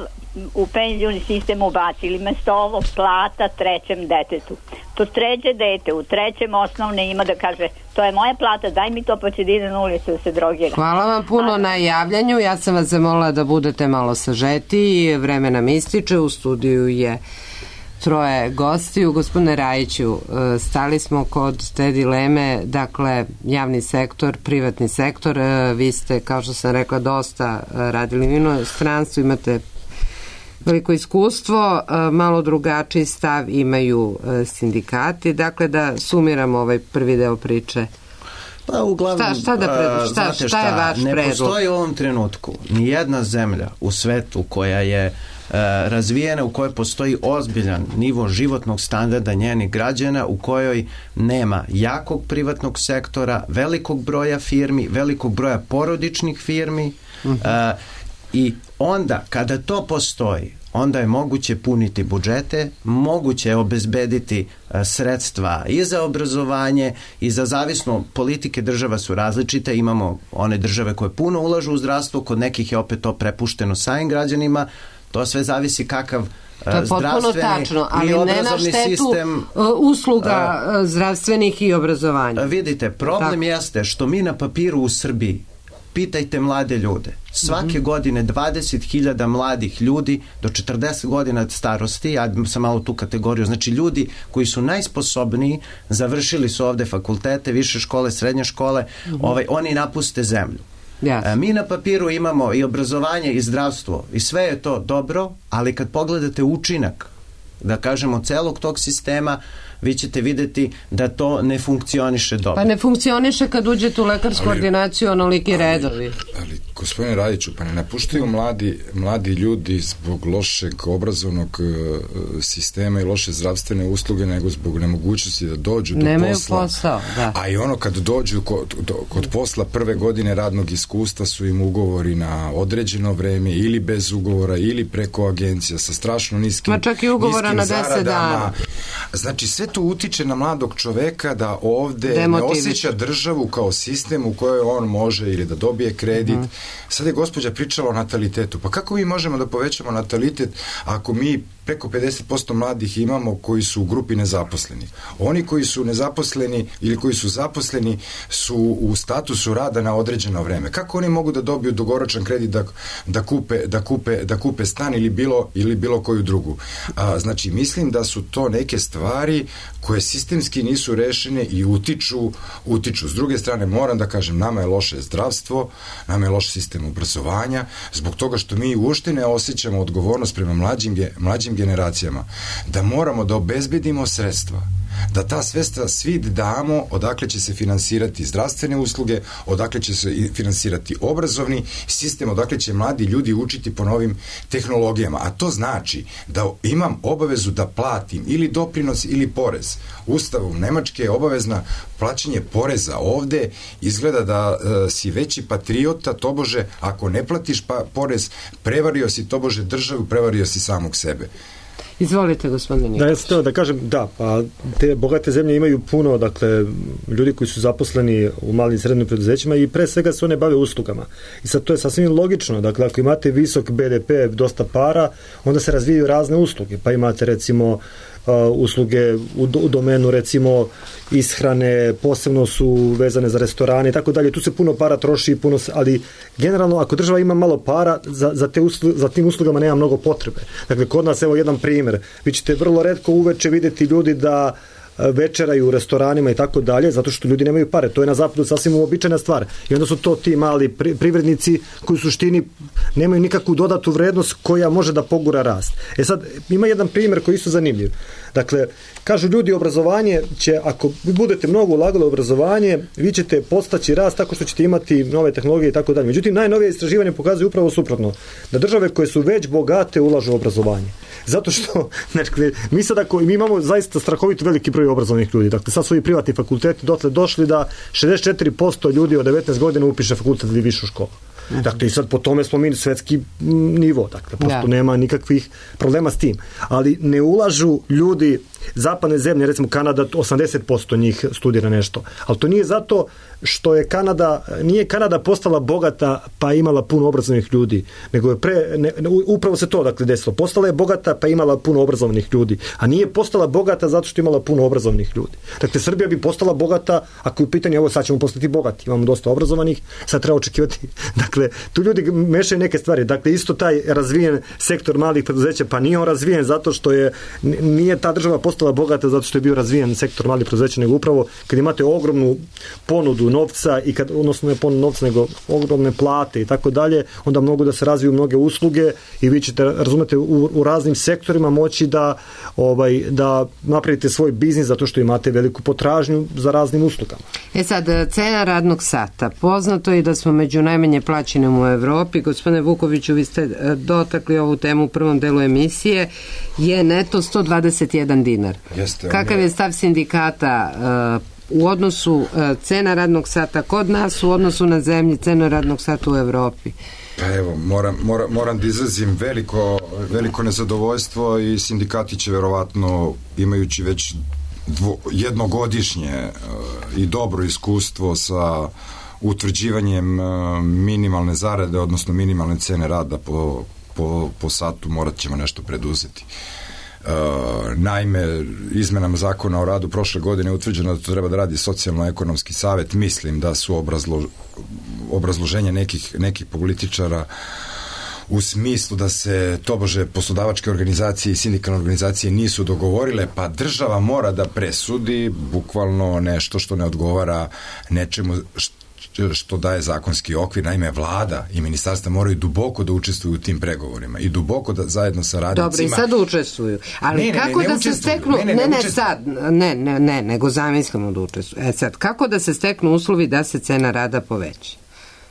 u penzioni sistem ubacili mesto ovo plata trećem detetu, to treće dete u trećem osnovne ima da kaže to je moja plata, daj mi to pa će da ide na ulicu da se drogira. Hvala vam puno a... na javljanju, ja sam vas zamolila da budete malo sažeti, vreme nam ističe, u studiju je troje gostiju. Gospodine Rajiću, stali smo kod te dileme, dakle javni sektor, privatni sektor, vi ste, kao što sam rekla, dosta radili u inostranstvu, imate veliko iskustvo, malo drugačiji stav imaju sindikati. Dakle, da sumiramo ovaj prvi deo priče. Pa uglavnom, šta, šta, da predlož, šta, šta, šta je vaš ne predlog? Postoji u ovom trenutku ni jedna zemlja u svetu koja je e, razvijena, u kojoj postoji ozbiljan nivo životnog standarda njenih građana, u kojoj nema jakog privatnog sektora, velikog broja firmi, velikog broja porodičnih firmi, uh-huh. e, i onda kada to postoji, onda je moguće puniti budžete, moguće je obezbediti sredstva i za obrazovanje i za zavisno politike država su različite. Imamo one države koje puno ulažu u zdravstvo, kod nekih je opet to prepušteno samim građanima. To sve zavisi kakav to je potpuno tačno, ali ne na štetu sistem, usluga uh, zdravstvenih i obrazovanja. Vidite, problem tako jeste što mi na papiru u Srbiji, pitajte mlade ljude, svake mm-hmm. godine dvadeset hiljada mladih ljudi do četrdeset godina starosti, ja sam malo tu kategoriju, znači ljudi koji su najsposobniji, završili su ovde fakultete, više škole, srednje škole, mm-hmm. ovaj, oni napuste zemlju. Yes. Mi na papiru imamo i obrazovanje i zdravstvo i sve je to dobro, ali kad pogledate učinak, da kažemo, celog tog sistema, vi ćete videti da to ne funkcioniše dobro. Pa ne funkcioniše kad uđete u lekarsku ali, ordinaciju onoliki redovi. Ali Gospodine Radiću, pa ne napuštaju mladi, mladi ljudi zbog lošeg obrazovnog uh, sistema i loše zdravstvene usluge, nego zbog nemogućnosti da dođu do Nemaju posla. Posao, da. A i ono kad dođu kod, do, kod posla prve godine radnog iskustva su im ugovori na određeno vreme ili bez ugovora ili preko agencija sa strašno niskim, Ma čak i ugovora na deset dana. Znači sve to utiče na mladog čoveka da ovde Demotivič. ne osjeća državu kao sistem u kojoj on može ili da dobije kredit. Mm. Sad je gospođa pričala o natalitetu. Pa kako mi možemo da povećamo natalitet ako mi preko pedeset posto mladih imamo koji su u grupi nezaposlenih? Oni koji su nezaposleni ili koji su zaposleni su u statusu rada na određeno vreme. Kako oni mogu da dobiju dugoročan kredit da, da, kupe, da, kupe, da kupe stan ili bilo, ili bilo koju drugu? A, znači, mislim da su to neke stvari koje sistemski nisu rešene i utiču, utiču. S druge strane, moram da kažem, nama je loše zdravstvo, nama je loš sistem obrazovanja, zbog toga što mi uopšte ne osjećamo odgovornost prema mlađim, mlađim generacijama, da moramo da obezbedimo sredstva, da ta sredstva svi damo odakle će se finansirati zdravstvene usluge, odakle će se finansirati obrazovni sistem, odakle će mladi ljudi učiti po novim tehnologijama. A to znači da imam obavezu da platim ili doprinos ili porez. Ustavom Nemačke je obavezna plaćanje poreza. Ovde izgleda da e, si veći patriota, tobože, ako ne platiš pa porez, prevario si tobože državu, prevario si samog sebe. Izvolite, gospodine Nikolić. Da, ja sam teo da kažem, da, pa te bogate zemlje imaju puno, dakle, ljudi koji su zaposleni u malim i srednjim preduzećima i pre svega se one bave uslugama. I sad to je sasvim logično, dakle, ako imate visok be de pe, dosta para, onda se razvijaju razne usluge, pa imate recimo Uh, usluge u, do, u domenu recimo ishrane, posebno su vezane za restorane i tako dalje, tu se puno para troši, puno se, ali generalno ako država ima malo para, za, za, te uslu, za tim uslugama nema mnogo potrebe. Dakle, kod nas, evo jedan primjer, vi ćete vrlo retko uveče vidjeti ljudi da večeraju u restoranima i tako dalje, zato što ljudi nemaju pare. To je na zapadu sasvim uobičajena stvar. I onda su to ti mali pri, privrednici koji u suštini nemaju nikakvu dodatu vrednost koja može da pogura rast. E sad, ima jedan primjer koji je isto zanimljiv. Dakle, kažu ljudi, obrazovanje će, ako vi budete mnogo ulagali u obrazovanje, vi ćete postaći rast tako što ćete imati nove tehnologije i tako dalje. Međutim, najnovije istraživanje pokazuje upravo suprotno. Da države koje su već bogate ulažu u obrazovanje. Zato što, znači, mi sad ako, mi imamo zaista strahovito veliki broj obrazovnih ljudi. Dakle, sad su i privatni fakulteti dotle došli da šezdeset četiri posto ljudi od devetnaest godina upiše fakultet ili višu školu. Dakle, i sad po tome smo mi svetski nivo. Dakle, prosto ja. nema nikakvih problema s tim. Ali ne ulažu ljudi zapadne zemlje, recimo Kanada, osamdeset posto njih studira nešto. Ali to nije zato što je Kanada, nije Kanada postala bogata pa imala puno obrazovnih ljudi, nego je pre, ne, upravo se to dakle desilo. Postala je bogata pa imala puno obrazovnih ljudi, a nije postala bogata zato što imala puno obrazovnih ljudi. Dakle, Srbija bi postala bogata ako je u pitanju, ovo sad ćemo postati bogati, imamo dosta obrazovanih, sad treba očekivati. Dakle, tu ljudi mešaju neke stvari. Dakle, isto taj razvijen sektor malih preduzeća, pa nije on razvijen zato što je, nije ta država postala bogata zato što je bio razvijen sektor malih preduzeća, nego upravo kad imate ogromnu ponudu novca i kad, odnosno ne ponudu novca, nego ogromne plate i tako dalje, onda mogu da se razviju mnoge usluge i vi ćete, razumete, u, u raznim sektorima moći da, ovaj, da napravite svoj biznis zato što imate veliku potražnju za raznim uslugama. E sad, cena radnog sata. Poznato je da smo među najmanje plaćenim u Evropi. Gospodine Vukoviću, vi ste dotakli ovu temu u prvom delu emisije. Je neto sto dvadeset jedan dinar. Jeste, Kakav je stav sindikata uh, u odnosu uh, cena radnog sata kod nas u odnosu na zemlji, cena radnog sata u Evropi? Pa evo, moram, moram, moram da izrazim veliko, veliko nezadovoljstvo i sindikati će verovatno, imajući već dvo, jednogodišnje uh, i dobro iskustvo sa utvrđivanjem uh, minimalne zarade, odnosno minimalne cene rada po, po, po satu, morat ćemo nešto preduzeti. Uh, naime, izmenama zakona o radu prošle godine je utvrđeno da to treba da radi socijalno-ekonomski savet. Mislim da su obrazlo, obrazloženje nekih, nekih političara u smislu da se tobože poslodavačke organizacije i sindikalne organizacije nisu dogovorile, pa država mora da presudi bukvalno nešto što ne odgovara nečemu što što daje zakonski okvir. Naime, vlada i ministarstva moraju duboko da učestvuju u tim pregovorima i duboko da zajedno sa radnicima... Dobro, i sad učestvuju. Ali ne, kako ne, ne, ne da se steknu... Ne, ne, ne, ne, ne sad, ne, ne, ne, nego zamislimo da učestvuju. E sad, kako da se steknu uslovi da se cena rada poveća?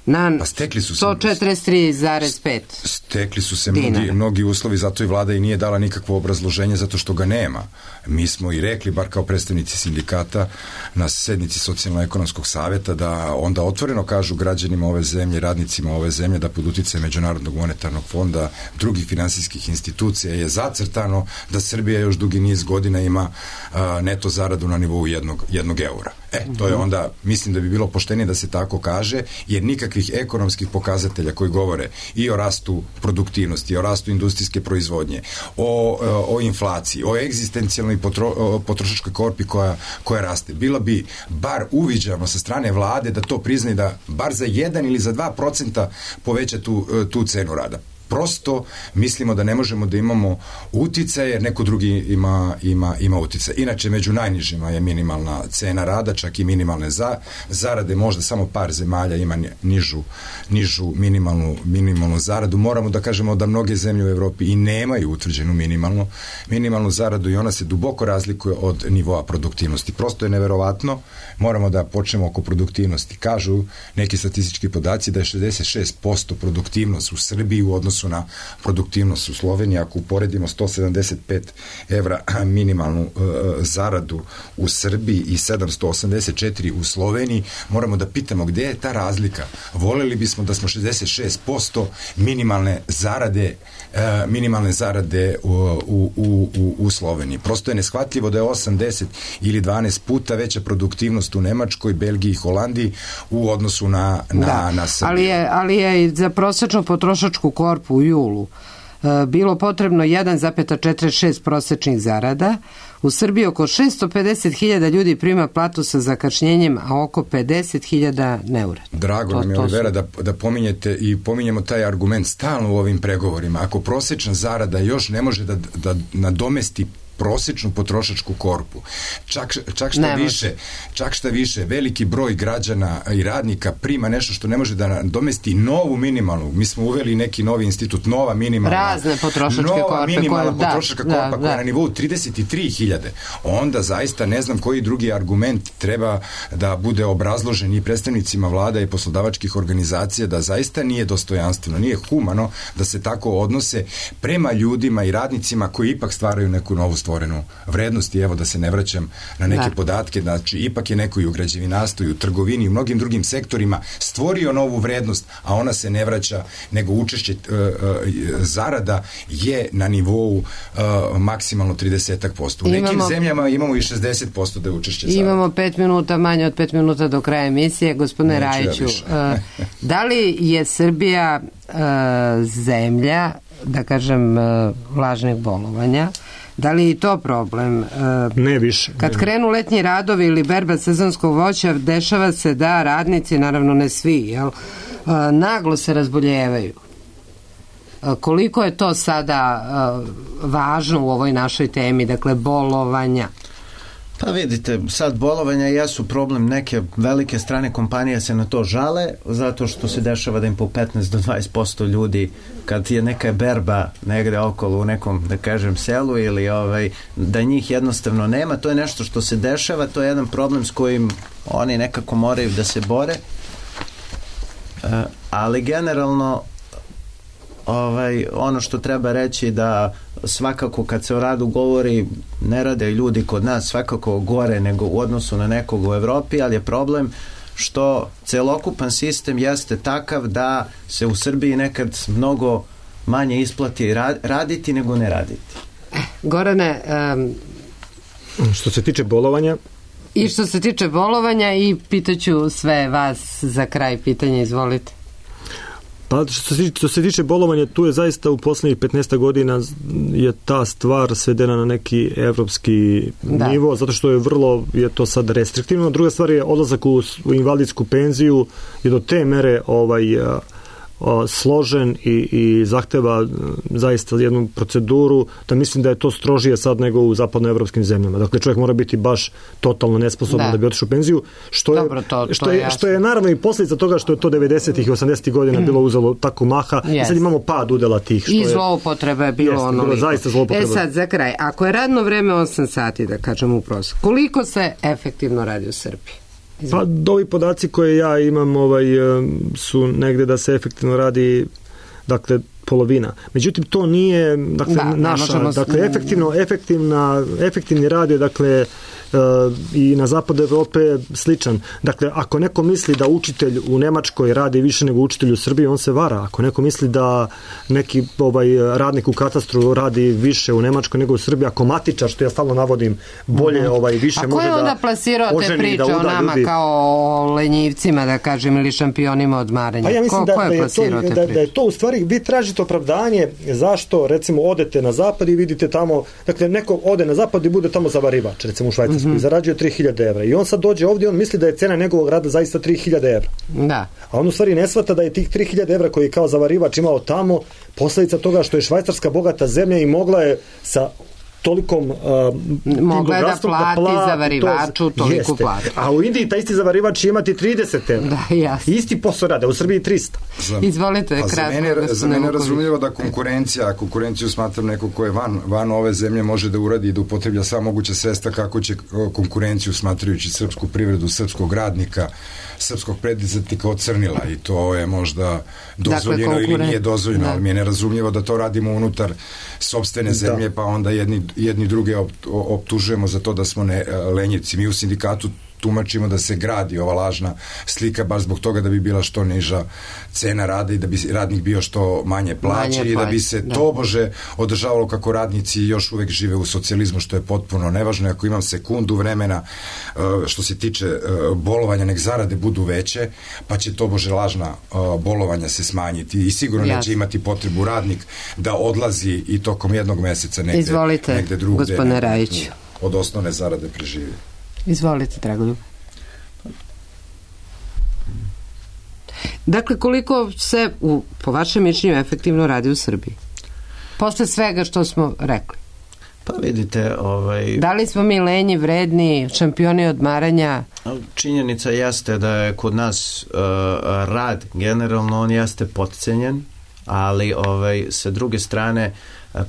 Na pa stekli su se, sto četrdeset tri zarez pet stekli su se mnogi, mnogi uslovi, zato i vlada i nije dala nikakvo obrazloženje, zato što ga nema. Mi smo i rekli, bar kao predstavnici sindikata na sednici Socijalno-ekonomskog saveta, da onda otvoreno kažu građanima ove zemlje, radnicima ove zemlje, da pod uticajem Međunarodnog monetarnog fonda, drugih finansijskih institucija je zacrtano da Srbija još dugi niz godina ima a, neto zaradu na nivou jednog, jednog eura. E, to je onda, mislim da bi bilo poštenije da se tako kaže, jer nikakvih ekonomskih pokazatelja koji govore i o rastu produktivnosti, o rastu industrijske proizvodnje, o, o inflaciji, o egzistencijalnoj potro, potrošačkoj korpi koja, koja raste. Bilo bi bar uviđano sa strane vlade da to prizna i da bar za jedan ili za dva procenta poveća tu, tu cenu rada. Prosto mislimo da ne možemo da imamo uticaje, jer neko drugi ima, ima, ima uticaje. Inače, među najnižima je minimalna cena rada, čak i minimalne za, zarade, možda samo par zemalja ima nižu, nižu minimalnu, minimalnu zaradu. Moramo da kažemo da mnoge zemlje u Evropi i nemaju utvrđenu minimalnu, minimalnu zaradu i ona se duboko razlikuje od nivoa produktivnosti. Prosto je neverovatno, moramo da počnemo oko produktivnosti. Kažu neki statistički podaci da je šezdeset šest posto produktivnost u Srbiji u odnosu na produktivnost u Sloveniji. Ako uporedimo sto sedamdeset pet evra minimalnu uh, zaradu u Srbiji i sedamsto osamdeset četiri u Sloveniji, moramo da pitamo gde je ta razlika. Voleli bismo da smo šezdeset šest posto minimalne zarade uh, minimalne zarade u, u, u, u Sloveniji. Prosto je neshvatljivo da je osam, deset ili dvanaest puta veća produktivnost u Nemačkoj, Belgiji i Holandiji u odnosu na, na, da, na Srbiju. Ali je, ali je i za prosječnu potrošačku korpu u julu bilo potrebno jedan zarez četrdeset šest prosečnih zarada. U Srbiji oko šesto pedeset hiljada ljudi prima platu sa zakašnjenjem, a oko pedeset hiljada ne uradi. Drago to, nam je, Olivera, da, da pominjete i pominjemo taj argument stalno u ovim pregovorima. Ako prosečna zarada još ne može da, da nadomesti prosečnu potrošačku korpu. Čak, čak šta više, čak šta više, veliki broj građana i radnika prima nešto što ne može da nadomesti novu minimalnu. Mi smo uveli neki novi institut, nova minimalna. Razne potrošačke korpe. Nova minimalna koja, potrošačka da, korpa da, koja je da. na nivou trideset tri hiljade. Onda zaista ne znam koji drugi argument treba da bude obrazložen i predstavnicima vlada i poslodavačkih organizacija da zaista nije dostojanstveno, nije humano da se tako odnose prema ljudima i radnicima koji ipak stvaraju neku novu stvorenu vrednost. I evo da se ne vraćam na neke da. podatke, znači ipak je neko i u građevinarstvu i u trgovini i u mnogim drugim sektorima stvorio novu vrednost, a ona se ne vraća, nego učešće uh, uh, zarada je na nivou uh, maksimalno trideset posto. U imamo, nekim zemljama imamo i šezdeset posto da je učešće zarada. Imamo pet minuta, manje od pet minuta do kraja emisije. Gospodine Rajiću, ja uh, da li je Srbija uh, zemlja, da kažem, uh, lažnih bolovanja? Da li je i to problem? Ne više. Kad ne. krenu letnji radovi ili berba sezonskog voća, dešava se da radnici, naravno ne svi, jel, naglo se razboljevaju. Koliko je to sada važno u ovoj našoj temi, dakle bolovanja? Pa vidite, sad bolovanja jesu problem, neke velike strane kompanije se na to žale, zato što se dešava da im po petnaest do dvadeset posto ljudi, kad je neka berba negde okolo u nekom, da kažem, selu ili ovaj, da njih jednostavno nema, to je nešto što se dešava, to je jedan problem s kojim oni nekako moraju da se bore, uh, ali generalno ovaj, ono što treba reći da svakako kad se o radu govori, ne rade ljudi kod nas svakako gore nego u odnosu na nekog u Evropi, ali je problem što celokupan sistem jeste takav da se u Srbiji nekad mnogo manje isplati raditi nego ne raditi. Gorane, um, što se tiče bolovanja i što se tiče bolovanja i pitaću sve vas za kraj pitanja, izvolite. Pa što se, što se tiče bolovanja, tu je zaista u poslednjih petnaest godina je ta stvar svedena na neki evropski da. nivo, zato što je vrlo, je to sad restriktivno. Druga stvar je odlazak u, u invalidsku penziju je do te mere ovaj, a, a, složen i, i zahteva zaista jednu proceduru, da mislim da je to strožije sad nego u zapadnoevropskim zemljama. Dakle, čovjek mora biti baš totalno nesposoban da, da bi otišao u penziju, što je, Dobro, to, to što, je, je što je naravno i posljedica toga što je to devedesetih i osamdesetih godina mm. bilo uzelo tako maha yes. i sad imamo pad udela tih. Što I zloupotrebe je bilo jest, ono bilo zaista zloupotrebe. E sad, za kraj, ako je radno vreme osam sati, da kažem u prosjeku, koliko se efektivno radi u Srbiji? Pa ovi podaci koje ja imam ovaj, su negde da se efektivno radi, dakle, polovina. Međutim, to nije, dakle, da, naša, dakle, efektivno, efektivna, efektivni rad je, dakle, i na zapadu Evrope sličan. Dakle, ako neko misli da učitelj u Nemačkoj radi više nego učitelj u Srbiji, on se vara. Ako neko misli da neki ovaj radnik u katastru radi više u Nemačkoj nego u Srbiji, ako matičar, što ja stalno navodim, bolje ovaj više može da... A ko je onda plasirao te priče o nama ljudi kao lenjivcima, da kažem, ili šampionima odmaranja? Pa ja mislim ko, da, ko je da, je to, da, da je to u stvari, vi tražite opravdanje zašto, recimo, odete na zapad i vidite tamo, dakle, neko ode na zapad i bude tamo zavarivač, recimo u Švajcarskoj, mm-hmm. i zarađuje tri hiljade evra. I on sad dođe ovdje i on misli da je cena njegovog rada zaista tri hiljade evra. Da. A on u stvari ne shvata da je tih tri hiljade evra koji je kao zavarivač imao tamo posledica toga što je Švajcarska bogata zemlja i mogla je sa tolikom uh, mogla je da plati da zavarivaču toliku platu. A u Indiji taj isti zavarivač će imati trideset evra. Da, jasno. Isti posao rade, u Srbiji trista. Za, Izvolite, kratko. Za mene, za mene je razumljivo da konkurencija, konkurenciju smatram neko ko je van, van ove zemlje može da uradi i da upotreblja sva moguća sredstva kako će konkurenciju smatrajući srpsku privredu, srpskog radnika, srpskog preduzetnika ocrnila i to je možda dozvoljeno dakle, ili nije dozvoljeno, da. Ali mi je nerazumljivo da to radimo unutar sopstvene zemlje, da. Pa onda jedni, jedni druge optužujemo za to da smo ne, lenjivci. Mi u sindikatu tumačimo da se gradi ova lažna slika baš zbog toga da bi bila što niža cena rada i da bi radnik bio što manje plaće manje i da bi se da. tobože održavalo kako radnici još uvek žive u socijalizmu, što je potpuno nevažno. Ako imam sekundu vremena što se tiče bolovanja, nek zarade budu veće, pa će tobože lažna bolovanja se smanjiti i sigurno Jasne. neće imati potrebu radnik da odlazi i tokom jednog meseca negde, Izvolite, negde drugde gospodine Rajiću. Od osnovne zarade preživi. Izvolite, Dragoljub. Dakle, koliko se, u, po vašem mišljenju, efektivno radi u Srbiji? Posle svega što smo rekli. Pa vidite, ovaj... Da li smo mi lenji, vredni, šampioni odmaranja? Činjenica jeste da je kod nas uh, rad, generalno, on jeste potcenjen, ali ovaj, sa druge strane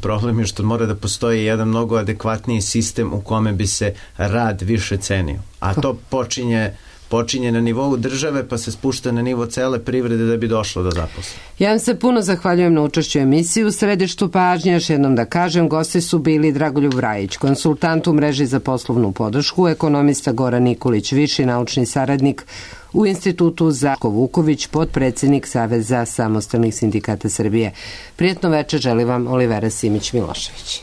problem je što mora da postoji jedan mnogo adekvatniji sistem u kome bi se rad više cenio. A to počinje, počinje na nivou države pa se spušta na nivo cele privrede da bi došlo do zaposlenja. Ja vam se puno zahvaljujem na učešću emisiji u središtu pažnje. Još jednom da kažem, gosti su bili Dragoljub Rajić, konsultant u mreži za poslovnu podršku, ekonomista Goran Nikolić, viši naučni saradnik u Institutu Žarko Vuković, potpredsednik Saveza samostalnih sindikata Srbije. Prijetno večer želi vam Olivera Simić-Milošević.